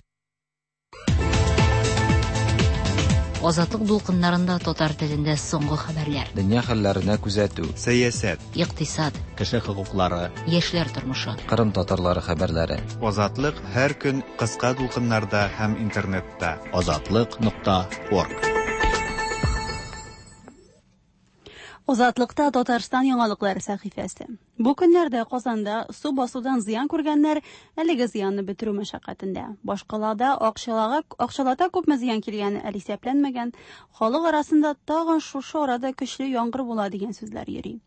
Азатлык дулкыннарында татар телендә соңгы хәбәрләр. Дөнья хәлләренә күзәтү. Сәясәт. Икътисад. Кеше хокуклары. Яшьләр тормышы. Кырым татарлары хәбәрләре. Азатлык һәр көн кыска дулкыннарда һәм интернетта. Азатлык нокта орг. Азатлыкта Татарстан яңалыклары сәхифәсе. Бу көннәрдә Казанда су басудан зыян күргәннәр әлеге зыянны бетерү мәшәкатендә. Башкалада акчалага акчалата күпме зыян килгәне әле исәпләнмәгән. Халык арасында тагын шушы арада көчле яңгыр була дигән сүзләр йөри.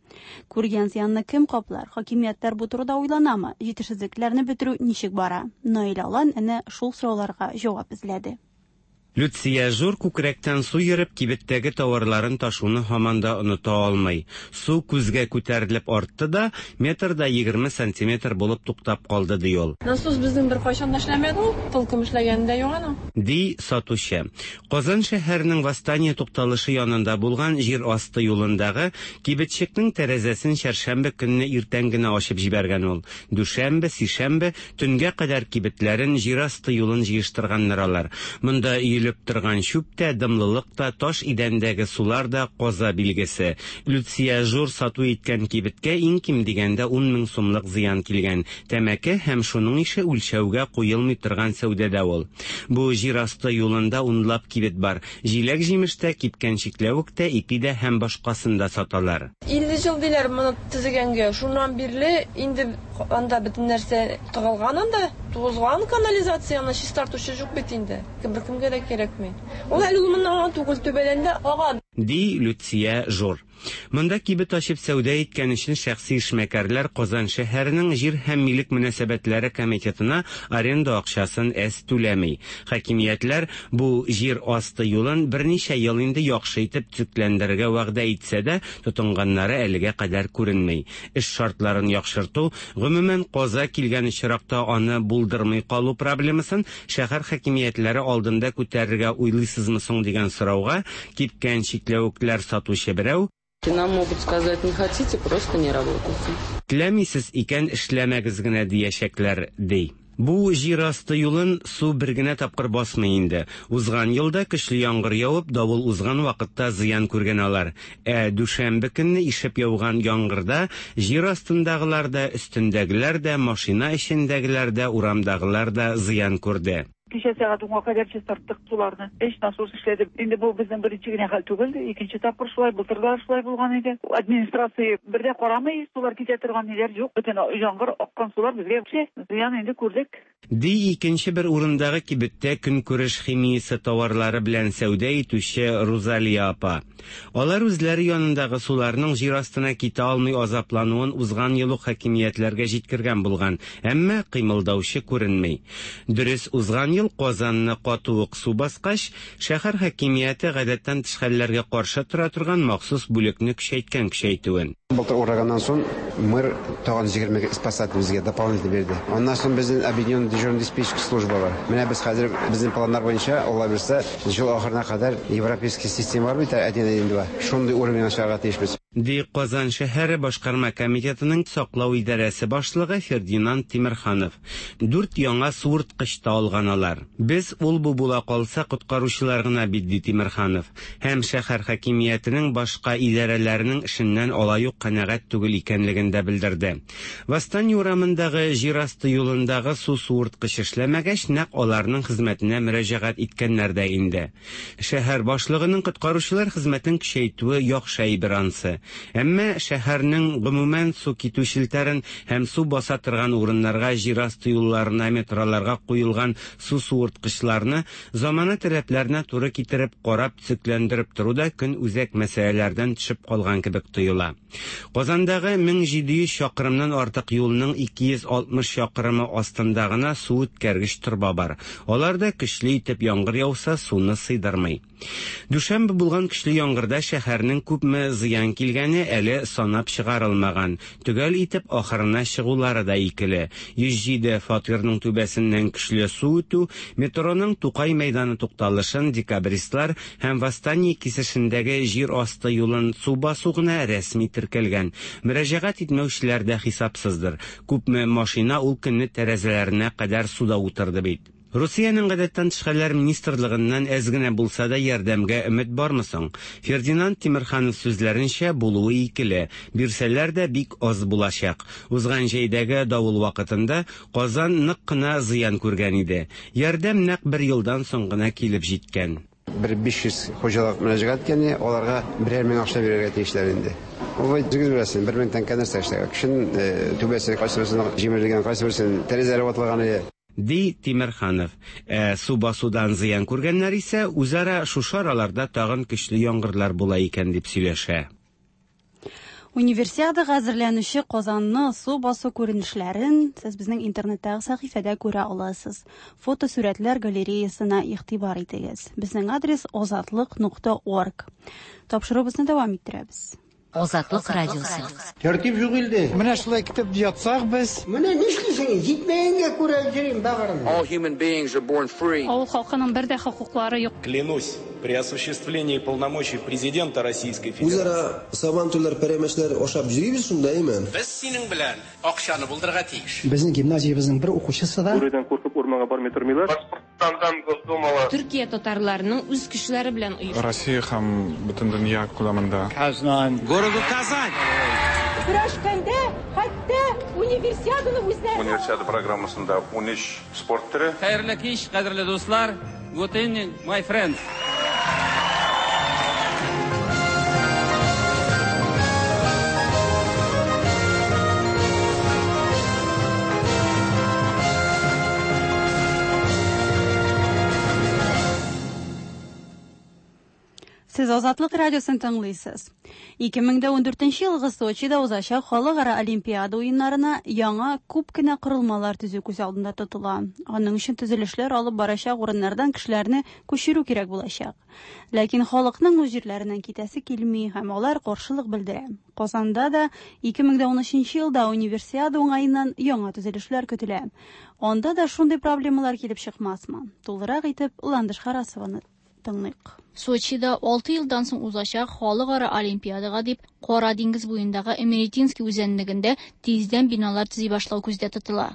Күргән зыянны кем каплар? Хакимиятләр бу турыда уйланамы? Җитешсезлекләрне бетерү ничек бара? Наил Алан әнә шул сорауларга җавап эзләде. Люция Жур күкрәктән су йөреп кибеттәге тауарларын ташуны һаман да оныта алмый. Су күзгә күтәрелеп артты да, метр да егерме сантиметр булып туктап калды, ди ул. Насос безнең беркайчан да эшләмәде ул, толком эшләгәне дә юк аның. Ди сатучы. Казан шәһәренең Восстание тукталышы янында булган җир асты юлындагы кибетчекнең тәрәзәсен чәршәмбе көнне иртән генә ачып җибәргән ул. Дүшәмбе, сишәмбе төнгә кадәр кибетләрен, җир асты юлын җыештырганнар алар. Монда өелеп торган чүп тә, дымлылык та, таш идәндәге сулар да каза билгесе. Люция Жур сату иткән кибеткә иң ким дигәндә ун мең сумлык зыян килгән. Тәмәке һәм шуның ише үлчәүгә куелмый торган сәүдәдә ул. Бу җир асты юлында унлап кибет бар. Җиләк-җимеш тә, кипкән чикләвек тә, ипи дә һәм башкасын да саталар. Илле ел диләр моны төзегәнгә. Шуннан бирле инде анда бөтен нәрсә тыгылган анда, тузган канализацияны чистартучы юк бит инде. Беркемгә дә кирәкми. Ул әле ул моннан түгел, түбәдән дә ага. Ди Люция Жур. Монда кибет ачып сәүдә иткән өчен шәхси эшмәкәрләр Казан шәһәренең җир һәм милек мөнәсәбәтләре комитетына аренда акчасын әз түләми. Хакимиятләр бу җир асты юлын берничә ел инде яхшы итеп төзекләндерергә вәгъдә итсә дә, тотынганнары әлегә кадәр күренми. Эш шартларын яхшырту, гомумән каза килгән очракта аны булдырмый калу проблемасын шәһәр хакимиятләре алдында күтәрергә уйлыйсызмы соң дигән сорауга кипкән чикләвекләр сатучы берәү: Нам могут сказать, не хотите, просто не работайте. Теләмисез икән, эшләмәгез генә диячәкләр, ди. Бу җир асты юлын су бер генә тапкыр басмый инде. Узган елда көчле яңгыр явып, давыл узган вакытта зыян күргән алар. Ә дүшәмбе көнне ишеп яуган яңгырда җир астындагылар да, өстендәгеләр дә, машина эчендәгеләр дә, урамдагылар да зыян күрде. Кичә сәгать унга кадәр чистарттык суларны. Өч насос эшләде. Инде бу безнең беренче генә хәл түгел, икенче тапкыр шулай, былтыр да шулай булган иде. Администрация бер дә карамый, сулар китә торган ниләр юк. Бөтен яңгыр аккан сулар безгә зыян инде күрдек. Ди икенче бер урындагы кибеттә көнкүреш химиясе тауарлары белән сәүдә итүче Рузалия апа. Алар үзләре янындагы суларның җир астына китә алмый азаплануын узган ел ук хакимиятләргә җиткергән булган, әмма кыймылдаучы күренми. Дөрес, узган ел Казанны каты ук су баскач, шәһәр хакимияте гадәттән тыш хәлләргә каршы тора торган махсус бүлекне көчәйткән көчәйтүен. Былтыр ураганнан соң мэр тагын егерме спасатель безгә дополнительно бирде. Аннан соң безнең объединенный дежурный диспетчерский служба бар. Менә без хәзер безнең планнар буенча, Алла бирсә, ел ахырына кадәр европейский система бар бит, один один два. Шундый уровеньга чыгарга тиешбез. Ди Казан шәһәре башкарма комитетының саклау идарәсе башлыгы Фердинанд Тимерханов. Дүрт яңа суырткыч та алган алар. Без ул бу була калса коткаручылар гына бит, ди Тимерханов. Һәм шәһәр хакимиятенең башка идарәләренең эшеннән алай ук канәгать түгел икәнлеген дә белдерде. Восстание урамындагы җир асты юлындагы су суырткыч эшләмәгәч, нәкъ аларның хезмәтенә мөрәҗәгать иткәннәр дә инде. Шәһәр башлыгының коткаручылар хезмәтен көчәйтүе яхшы әйбер ансы. Әмма шәһәрнең гомумән су китү челтәрен һәм су баса торган урыннарга, җир асты юлларына, метроларга куелган су суырткычларны замана таләпләренә туры китереп, карап, төзекләндереп тору да көн үзәк мәсьәләләрдән төшеп калган кебек тоела. Казандагы мең җиде йөз чакрымнан артык юлның ике йөз алтмыш чакрымы астында гына су үткәргеч торба бар. Алар да көчле итеп яңгыр яуса суны сыйдырмый. Дүшәмбе булган көчле яңгырда шәһәрнең күпме зыян килгәне әле санап чыгарылмаган. Төгәл итеп ахырына чыгулары да икеле. Йөз җиде фатирның түбәсеннән көчле су үтү, метроның Тукай мәйданы тукталышын декабристлар һәм Восстание кисешендәге җир асты юлын су басу гына рәсми теркәлгән. Мөрәҗәгать итмәүчеләр дә хисапсыздыр. Күпме машина ул көнне тәрәзәләренә кадәр суда утырды бит. Русиянең гадәттән тыш хәлләр министрлыгыннан әз генә булса да ярдәмгә өмет бармы соң? Фердинанд Тимерханов сүзләренчә, булуы икеле, бирсәләр дә бик аз булачак. Узган җәйдәге давыл вакытында Казан нык кына зыян күргән иде. Ярдәм нәкъ бер елдан соң гына килеп җиткән. Бер биш йөз хуҗалык мөрәҗәгать иткән, аларга берәр мең акча бирергә тиешләр инде. Ул үзегез беләсез, бер мең тәңкә нәрсә эшләгән. Кешенең түбәсе кайсы берсенең җимерелгән, кайсы берсенең тәрәзәләре ватылган иде. Ди Тимерханов. Ә су басудан зыян күргәннәр исә үзара шушы араларда тагын көчле яңгырлар була икән дип сөйләшә. Универсиадага әзерләнүче Казанны су басу күренешләрен сез безнең интернеттагы сәхифәдә күрә аласыз. Фотосурәтләр галереясына игътибар итегез. Безнең адрес озатлык нокта орг. Тапшыруыбызны дәвам иттерәбез. Азатлык радиосы. Тәртип юк илдә. Менә шулай китеп ятсак без. Менә нишлисең? Җитмәгәнгә күрә йөрим багырым. All human beings are born free. Авыл халкының бер дә хокуклары юк. Клянусь при осуществлении полномочий президента Российской Федерации. Үзара сабантуйлар, пәрәмәчләр ашап йөрибез шунда, әйме? Без синең белән акчаны булдырырга тиеш. Безнең гимназиябезнең бер укучысы да Бүредән куркып урманга бармый тормыйлар. Башкортстандан Госдумала. Төркия татарларының үз кешеләре белән оешты. Россия һәм бөтен дөнья күләмендә. Казан. Городу Казань. Көрәшкәндә хәтта универсиаданы үзләре. Универсиада программасында ун өч спорт төре. Хәерле кич, кадерле дуслар. Good evening, my friends. Сез Азатлык радиосын тыңлыйсыз. ике мең дә ундүртенче елгы Сочида узачак халыкара Олимпиада уеннарына яңа күп кенә корылмалар төзү күз алдында тотыла. Аның өчен төзелешләр алып барачак урыннардан кешеләрне күчерү кирәк булачак. Ләкин халыкның үз җирләреннән китәсе килми һәм алар каршылык белдерә. Казанда да ике мең дә унөченче елда универсиада уңаеннан яңа төзелешләр көтелә. Анда да шундый проблемалар килеп чыкмасмы? Тулырак итеп Ландыш Харасованы тыңлыйк. Сочида алты елдан соң узачак халыкара Олимпиадага дип Кара диңгез буендагы Эмеретинский үзәнлегендә тиздән биналар төзи башлау күздә тотыла.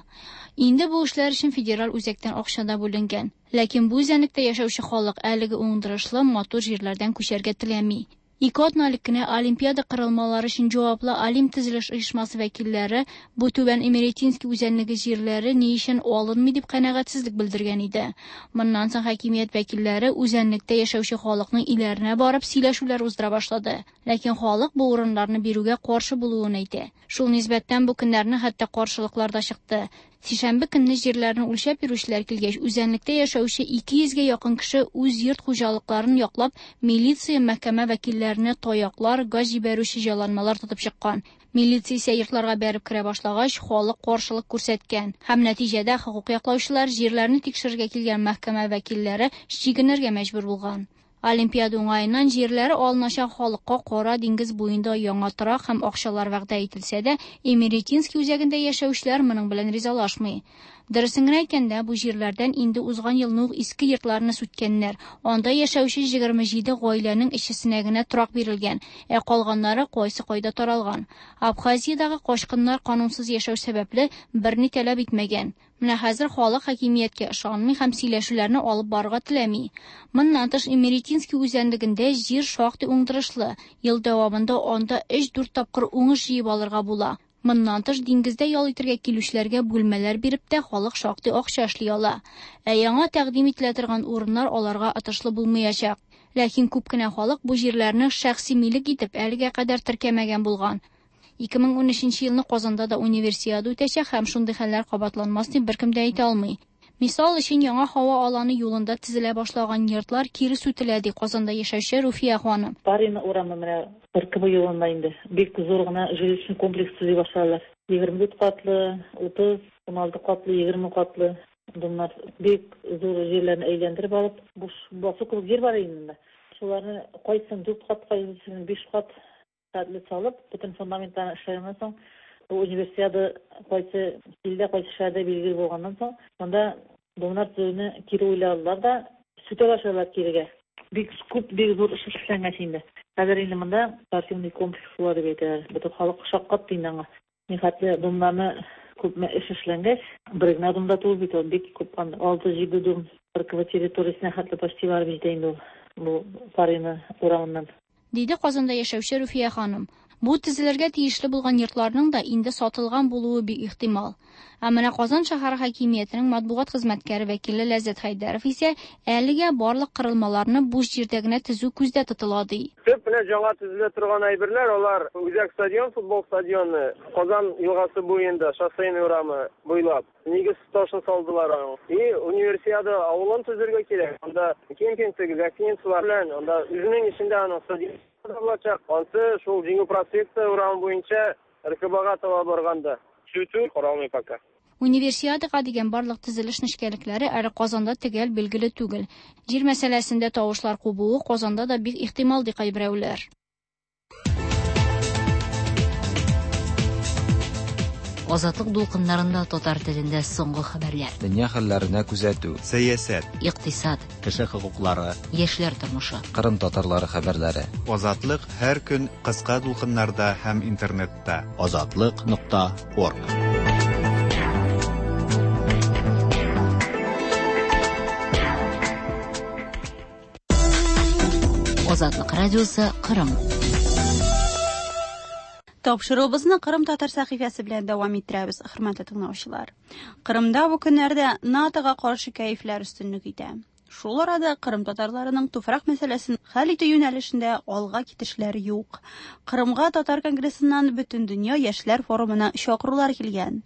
Инде бу эшләр өчен федераль үзәктән акча да бүленгән. Ләкин бу үзәнлектә яшәүче халык әлеге уңдырышлы матур җирләрдән күчәргә теләми. Ике атна элек кенә Олимпиада корылмалары өчен җаваплы Олимп төзелеш оешмасы вәкилләре бу түбән Эмеретинский үзәнлеге җирләре ни өчен алынмый дип канәгатьсезлек белдергән иде. Моннан соң хакимият вәкилләре үзәнлектә яшәүче халыкның өйләренә барып сөйләшүләр уздыра башлады. Ләкин халык бу урыннарны бирүгә каршы булуын әйтә. Шул нисбәттән бу көннәрне хәтта каршылыклар да чыкты. Сишәмбе көнне җирләрне үлчәп йөрүчеләр килгәч, үзәнлектә яшәүче ике йөзгә якын кеше үз йорт хуҗалыкларын яклап, милиция, мәхкәмә вәкилләренә таяклар, газ җибәрүче җайланмалар тотып чыккан. Милиция исә йортларга бәреп керә башлагач, халык каршылык күрсәткән. Һәм нәтиҗәдә хокук яклаучылар җирләрне тикшерергә килгән мәхкәмә вәкилләре чигенергә мәҗбүр булган. Олимпиада уңаеннан җирләре алыначак халыкка Кара диңгез буенда яңа торак һәм акчалар вәгъдә ителсә дә, Эмеретинский үзәгендә яшәүчеләр моның белән ризалашмый. Дөресен генә әйткәндә, бу җирләрдән инде узган елны ук иске йортларны сүткәннәр. Анда яшәүче егерме җиде гаиләнең өчесенә генә торак бирелгән, ә калганнары кайсы кайда таралган. Абхазиядагы качкыннар канунсыз яшәү сәбәпле берни таләп итмәгән. Менә хәзер халык хакимияткә ышанмый һәм сөйләшүләрне алып барырга теләми. Моннан тыш Эмеретинский үзәнлегендә җир шактый уңдырышлы. Ел дәвамында анда өч-дүрт тапкыр уңыш җыеп алырга була. Моннан тыш диңгездә ял итәргә килүчеләргә бүлмәләр биреп тә халык шактый акча эшли ала. Ә яңа тәкъдим ителә торган урыннар аларга отышлы булмаячак. Ләкин күп кенә халык бу җирләрне шәхси милек итеп әлегә кадәр теркәмәгән булган. ике мең унөченче елны Казанда да универсиада үтәчәк һәм шундый хәлләр кабатланмас дип беркем дә әйтә алмый. Мисал өчен яңа һава аланы юлында төзелә башлаган йортлар кире сүтелә, ди Казанда яшәүче Руфия ханым. Парина урамы менә Р К Б юлында инде бик зур гына жилищный комплекс төзи башладылар. Егерме дүрт катлы, утыз, уналты катлы, егерме катлы домнар бик зур җирләрне әйләндереп алып, буш басу кебек җир бар инде. Шуларны кайсын дүрт кат, кайсын биш кат хәтле салып, бөтен фундаментларны эшләгәннән соң, бу универсиада кайсы илдә, кайсы шәһәрдә билгеле булганнан соң, монда домнар төзүне кире уйладылар да, сүтә башладылар кирегә. Бик күп, бик зур эш эшләнгән инде. Хәзер инде монда спортивный комплекс була дип әйтәләр. Бөтен халык шаккатты инде аңа. Нихәтле домнарны күпме эш эшләнгәч, бер генә домда түгел бит ул, бик күп, алты-җиде дом Р К Б территориясенә хәтле почти барып җитә инде ул бу Парина урамыннан. Диде Казанда яшәүче Руфия ханым. Бу төзелергә тиешле булган йортларның да инде сатылган булуы бик ихтимал. Ә менә Казан шәһәре хакимиятенең матбугат хезмәткәре вәкиле Ләззәт Хәйдәров исә әлегә барлык корылмаларны буш җирдә генә төзү күздә тотыла, ди. Төп менә яңа төзелә торган әйберләр, алар Үзәк стадион, футбол стадионы, Казан елгасы буенда, Шоссейный урамы буйлап нигез ташын салдылар аның. И универсиада авылын төзергә кирәк. Анда кемпинг, гостиницалар белән, анда үзенең эчендә аның стадион да булачак. Ансы шул Җиңү проспекты урамы буенча РКБга таба барганда. Сүтү каралмый пока. Универсиадага дигән барлык төзелеш нечкәлекләре әле Казанда төгәл билгеле түгел. Җир мәсьәләсендә тавышлар кубуы Казанда да бик ихтимал, ди кайберәүләр. Азатлык дулкыннарында татар телендә соңгы хәбәрләр. Дөнья хәлләренә күзәтү. Сәясәт. Икътисад. Кеше хокуклары. Яшьләр тормышы. Кырым татарлары хәбәрләре. Азатлык һәр көн кыска дулкыннарда һәм интернетта. Азатлык нокта орг. Азатлык радиосы Кырым. Тапшыруыбызны Кырым татар сәхифәсе белән дәвам иттерәбез, хөрмәтле тыңлаучылар. Кырымда бу көннәрдә НАТОга каршы кәефләр өстенлек итә. Шул арада Кырым татарларының туфрак мәсьәләсен хәл итү юнәлешендә алга китешләр юк. Кырымга татар конгрессыннан Бөтендөнья яшьләр форумына чакырулар килгән.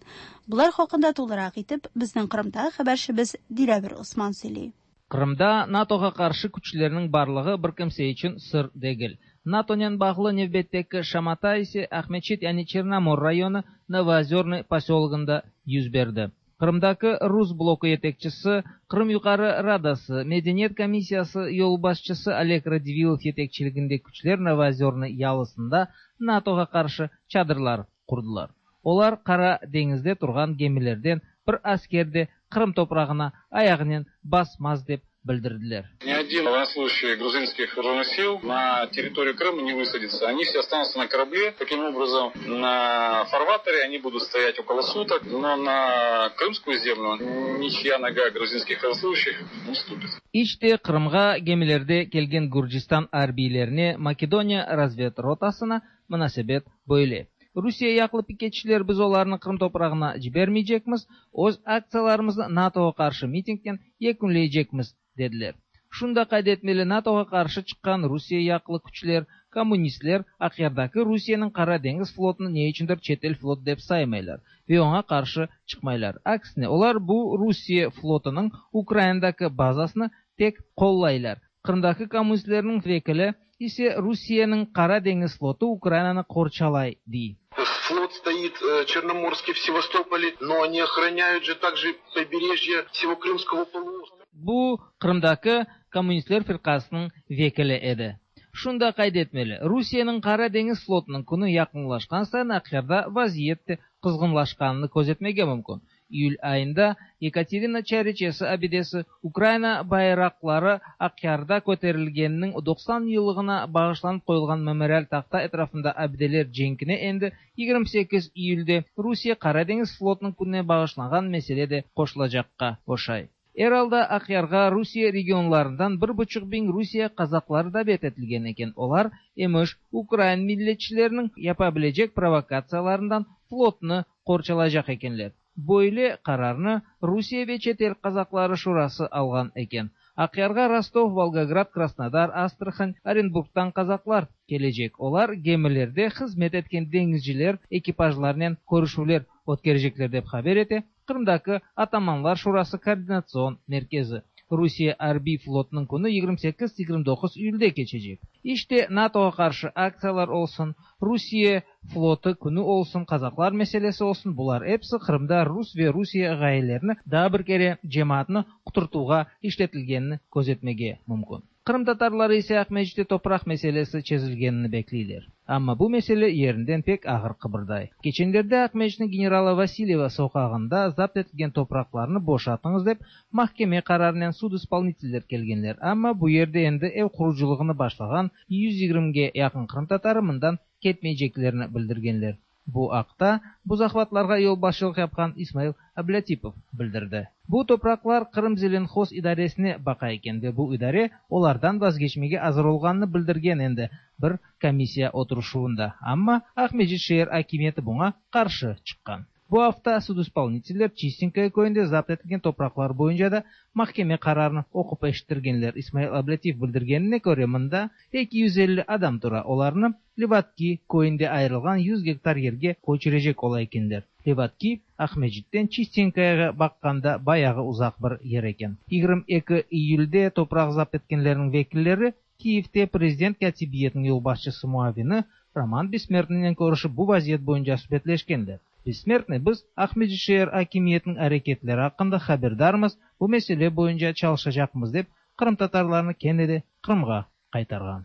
Булар хакында тулырак итеп безнең Кырымдагы хәбәрчебез Диләвер Осман сөйли. Кырымда НАТОга каршы күчләрнең барлыгы бер кемсә өчен сыр дегел. НАТОнен баглы невбеттеки шамата исе Ахмечит, яни Черномор районы Новоозерный поселогында йөз берди. Кырымдагы Рус блоку етекчisi, Кырым Югары Радасы, Мәдәният комиссиясы юлбашчысы Олег Радивилов етекчилегендә күчләр Новоозерный ялысында НАТОга каршы чадырлар курдылар. Олар Кара деңиздә торган гемиләрдән бер аскер дә Кырым топрагына аягыннан басмас дип белдерделәр. Ни один военнослужащий грузинских вооруженных сил на территорию Крыма не высадится. Они все останутся на корабле. Таким образом, на фарватере они будут стоять около суток, но на крымскую землю ничья нога грузинских военнослужащих не ступит. Иште Кырымга гемиләрдә килгән Гүрҗистан арбийләренә Македония разведротасына мөнәсәбәт бөйле. Русия яклы пикетчиләр без оларны Кырым топрагына җибәрмәячәкбез, үз акцияләребезне НАТОга каршы митингтән якынлаячакбыз, dediler. Шунда кайд etmeli, НАТОга каршы чыккан Русия яклы күчләр, коммунистлар Акъярдагы Русиянең Кара диңгез флотын ни өчендер чит ил флот дип саймайлар вә аңа каршы чыкмайлар. Аксине, олар бу Русия флотының Украинадагы базасын тек коллайлар. Кырымдагы коммунистларның вәкиле исе Русиянең Кара диңгез флоты Украинаны корчалай ди. Флот стоит Черноморский в Севастополе, но они охраняют же также побережье всего Крымского полуострова. Бу Кырымдагы коммунистлар фиркасының вәкиле иде. Шунда кайд etmeli, Русиянең Кара диңгез флотының көне якынлашкан саен Акъярда вазият кызгынлашканын күзәтмәгә мөмкин. Июль айында Екатерина Чаричесы абидесі Украина байраклары Акъярда көтәрелгәненең туксан еллыгына багышланып куелган мемориаль такта әтрафында абиделәр җәңкенә инде егерме сигез июльдә Русия Кара диңгез флотының көненә багышланган мәсьәлә дә кошылачакка ошай. Эралда Акъярга Русия регионларыннан бер бучук мең Русия казаклары да бет ителгән икән. Алар имеш Украин милләтчеләренең япа беләчәк провокацияларыннан флотны корчалачак икәнләр. Бойле карарны Русия вә чит ил казаклары шурасы алган икән. Акъярга Ростов, Волгоград, Краснодар, Астрахань, Оренбургтан казаклар келәчәк. Алар гемиләрдә хезмәт иткән диңгезчеләр экипажларыннан күрешүләр үткәрәчәкләр дип хәбәр итә Кырымдагы Атаманлар Шурасы координацион мәркәзе. Русия арби флотының көне егерме сигез егерме тугыз июльдә кичәчәк. Иште НАТОга каршы акциялар olsun, Русия флоты көне olsun, казаклар мәсьәләсе olsun, булар эпсе Кырымда рус вә Русия гаиләләрен да бер кәрә җәмәгатьне котыртуга ишләтелгәнен күзәтмәгә мөмкин. Кырым татарлары исә Акмәҗиттә топрак мәсьәләсе чезелгәнен бәклиләр. Әмма бу мәсьәлә ерендән пек агыр кыбырдай. Кеченләрдә Акмәҗитнең генералы Васильева сокагында запт ителгән топракларны бошатыңыз дип мәхкәмә карарыннан суд исполнительләр килгәннәр. Әмма бу ердә инде эв куручылыгын башлаган йөз егермегә якын кырым татары мондан кетмәячәкләрен белдергәннәр. Бу акта бу захватларга юлбашчылык япкан Исмаил Аблятипов белдерде. Бу топраклар Кырым Зеленхоз идарәсенә бака икән вә бу идарә олардан вазгечмәгә әзер булганын белдергән инде бер комиссия отырышуында. Әмма Акмәҗит шәһәр хакимияте буңа каршы чыккан. Бу hafta суд исполнительләр Чистенькая көендә запт ителгән топраклар буенча да мәхкәмә карарын оқып әшеттергәннәр. Исмаил Аблятиев белдергәненә күрә, монда ике йөз илле адам тора. Аларны Леватки көендә аерылган йөз гектар ергә күчерәчәк ола икәннәр. Леватки Акмәҗиттән Чистенькаяга бакканда баягы узак бер ер икән. Егерме ике июльдә топрак запт иткәннәрнең вәкилләре Kiyevde prezident kâtibiyetiniñ yolbaşçısı muavini Roman Bessmertniynen körüşip bu vaziyet boyunca subetleşkenler. Bessmertniy biz Aqmescit şeer akimiyetiniñ areketleri aqqında haberdarmız, bu mesele boyunca çalışacaqmız dep qırımtatarlarnı kene de Qırımğa qaytarğan.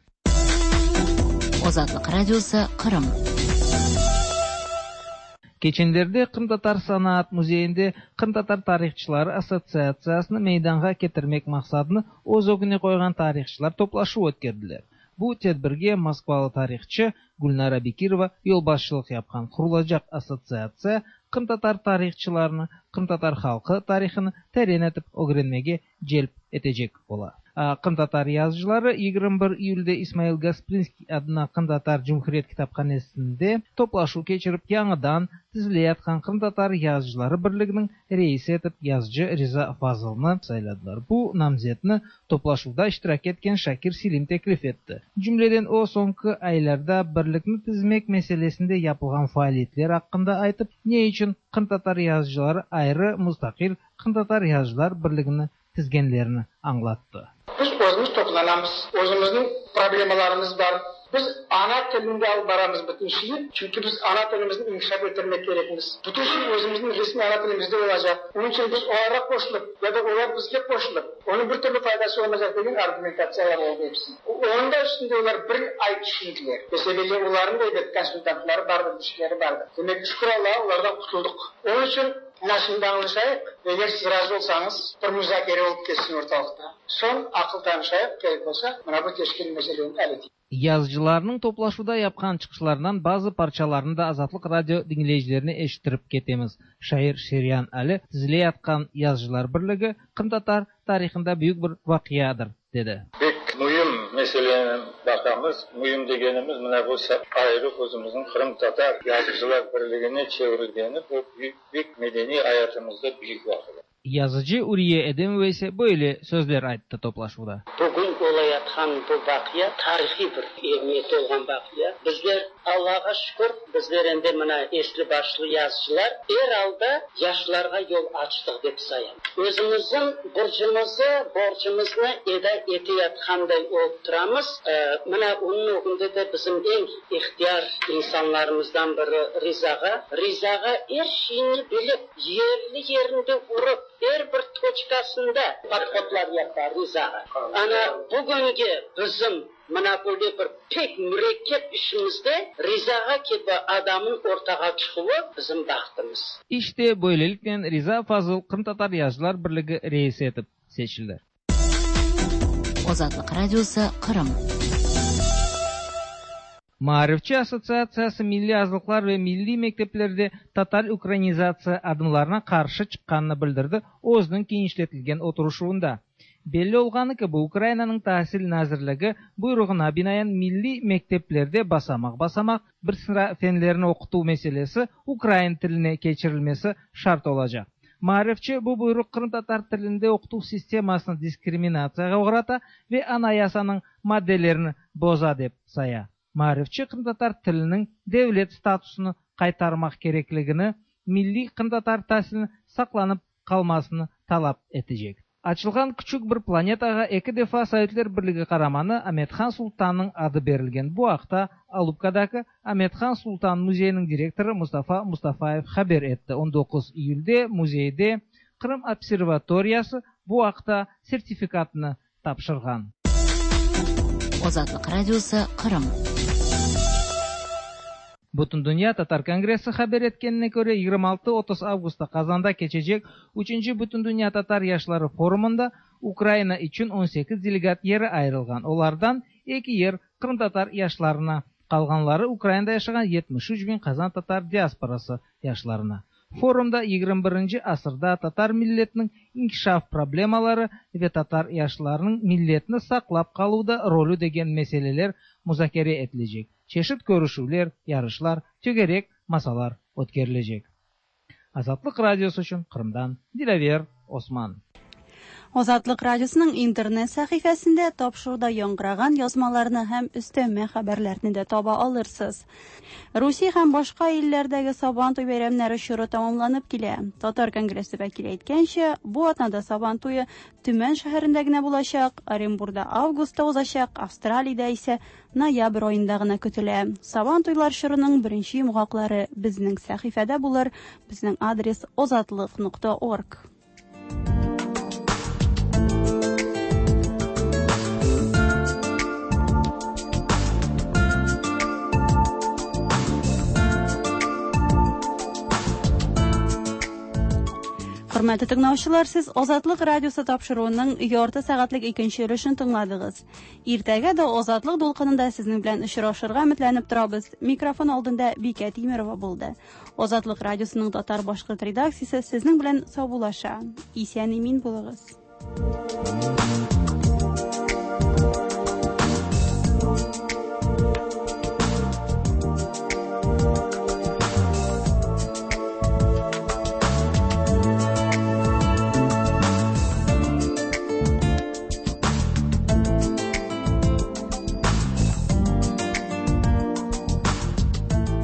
Azatlıq Radiosı, Qırım. Keçenlerde Qırımtatar sanaat muzeyinde Qırımtatar tarihçıları assotsiatsiyasını meydanğa ketirmek maqsadını öz ögüne qoyğan tarihçılar toplaşuv ötkerdiler. Bu tedbirge moskvalı tarihçı Gülnara Bekirova yolbaşçılıq yapqan. Qurulacaq assotsiatsiya qırımtatar tarihçılarını qırımtatar halqı tarihını teren etip ögrenmege celp etecek ola. Qırımtatar yazıcıları yigirmi bir iyülde İsmail Gasprinskiy adına Qırımtatar Cumhuriyet kitaphanesinde toplaşuv keçirip yañıdan tizileyatqan Qırımtatar yazıcıları birliginiñ reisi etip yazıcı Riza Fazılnı sayladılar. Bu namzetni toplaşuvda iştirak etken Şakir Selim teklif etti. Cümleden o soñki aylarda birlikni tizmek meselesinde yapılğan faaliyetler aqqında aytıp, ne içün qırımtatar yazıcıları ayrı mustaqil Qırımtatar yazıcılar birligini tizgenlerini añlattı. Biz özümiz toplanamız, özümizniñ problemalarımız bar. Biz ana tilinde alıp baramız bütün şeyi, çünki biz ana tilimizni inkişaf ettirmek kerekmiz. Bütün şey özümizniñ resmiy ana tilimizde olacaq. Onıñ içün biz olarğa qoşulıp ya da olar bizge qoşulıp, onıñ bir türlü faydası olmaycaq degen argumentatsiyalar oldı episi. Onıñ da üstünde olar bir ay tüşündiler. Besebelli olarnıñ da ebet konsultantları bardır, bir şeyleri bardır. Demek, şükür Allağa, olardan qutuldıq. Onıñ içün mına şimdi añlaşayıq, eger siz razı olsañız, bir muzakere olıp ketsin ortalıqta. Soñ aqıl tanışayıq, kerek olsa, mına bu teşkil meseleni al eteyik. Yazıcılarnıñ toplaşuvda yapqan çıqışlarından bazı parçalarını da Azatlıq Radio diñleyicilerine eşittirip ketemiz. Şair Şeryan Ali tizileyatqan Yazıcılar birligi qırımtatar tarihında büyük bir vaqiadır, dedi. Pek müim meseleni baqamız. Müim degenimiz mına bu ayrı özümizniñ Qırımtatar yazıcılar birligine çevirilgeni, bu büyük, büyük medeniy ayatımızda büyük vaqia. Yazıcı Uriye Edemova ise böyle sözler ayttı toplaşuvda. Bugün olayatqan bu vaqia tarihiy bir emiyeti olğan vaqia. Bizler, Allağa şükür, bizler endi mına esli başlı yazıcılar er alda yaşlarğa yol açtıq dep sayam. Özümizniñ burcumızı, borcumıznı eda eteyatqanday olıp turamız. Mına onıñ ögünde de bizim eñ ihtiyar insanlarımızdan biri Rizağa. Rizağa er şeyni bilip, yerli yerinde urıp, er bir toçkasında podhodlar yapa Rizağa. Ana bugünge bizim mına böyle bir pek mürekkep işimizde Rizağa kibi adamnıñ ortağa çıquvı bizim bahtımız. İşte böyleliknen Riza Fazıl Qırımtatar yazıcılar birligi reisi etip seçildi. Azatlıq Radiosı, Qırım. Maarifçi assotsiatsiyası milliy azlıqlar ve milliy mekteplerde total ukrainizatsiya adımlarına qarşı çıqqanını bildirdi özüniñ kenişletilgen oturışuvında. Belli olğanı kibi, Ukrainanıñ tasil nazirligi buyruğına binaen milliy mekteplerde basamaq-basamaq bir sıra fenlerni oqutuv meselesi ukrain tiline keçirilmesi şart olacaq. Maarifçi bu buyruq qırımtatar tilinde oqutuv sistemasını diskriminatsiyağa oğrata ve Anayasanıñ maddelerini boza dep saya. Maarifçi qırımtatar tiliniñ devlet statusını qaytarmaq kerekligini, milliy qırımtatar tasilini saqlanıp qalmasını talap etecek. Açılğan küçük bir planetağa eki defa Sovetler Birligi qaramanı Amet-Han Sultannıñ adı berilgen. Bu aqta Alupkadaki Amet-Han Sultan muzeyiniñ direktorı Mustafa Mustafayev haber etti. on doquz iyülde muzeyde Qırım observatoriyası bu aqta sertifikatını tapşırğan. Azatlıq Radiosı, Qırım. Bütündünya Tatar Kongressi haber etkenine köre, yigirmi altı otuz avgustta Qazanda keçecek üçünci Bütündünya Tatar yaşları forumında Ukraina içün on sekiz delegat yeri ayırılğan. Olardan eki yer qırımtatar yaşlarına, qalğanları Ukrainada yaşağan yetmiş üç biñ qazan tatar diasporası yaşlarına. Forumda yigirmi birinci asırda tatar milletiniñ inkişaf problemaları ve tatar yaşlarınıñ milletini saqlap qaluvda rolü degen meseleler muzakere etilecek. Çeşit körüşüvler, yarışlar, tögerek masalar ötkerilecek. Azatlıq Radiosı içün Qırımdan Dilâver Osman. Азатлык радиосының интернет сәхифәсендә тапшыруда яңгыраган язмаларны һәм өстәмә хәбәрләрне дә таба алырсыз. Русия һәм башка илләрдәге Сабан туй бәйрәмнәре чоры тәмамланып килә. Татар конгрессы вәкиле әйткәнчә, бу атнада Сабан туе Төмән шәһәрендә генә булачак, Оренбурда августта узачак, Австралиядә исә ноябрь аенда гына көтелә. Сабан туйлар чорының беренче йомгаклары безнең сәхифәдә булыр. Безнең адрес озатлык нокта орг. Хөрмәтле тыңлаучылар, сез Азатлык радиосы тапшыруының ярты сәгатьлек икенче өлешен тыңладыгыз. Иртәгә дә Азатлык дулкынында сезнең белән очрашырга өметләнеп торабыз. Микрофон алдында Бикә Тимерова булды. Азатлык радиосының татар-башкорт редакциясе сезнең белән саубуллаша. Исән-имин булыгыз.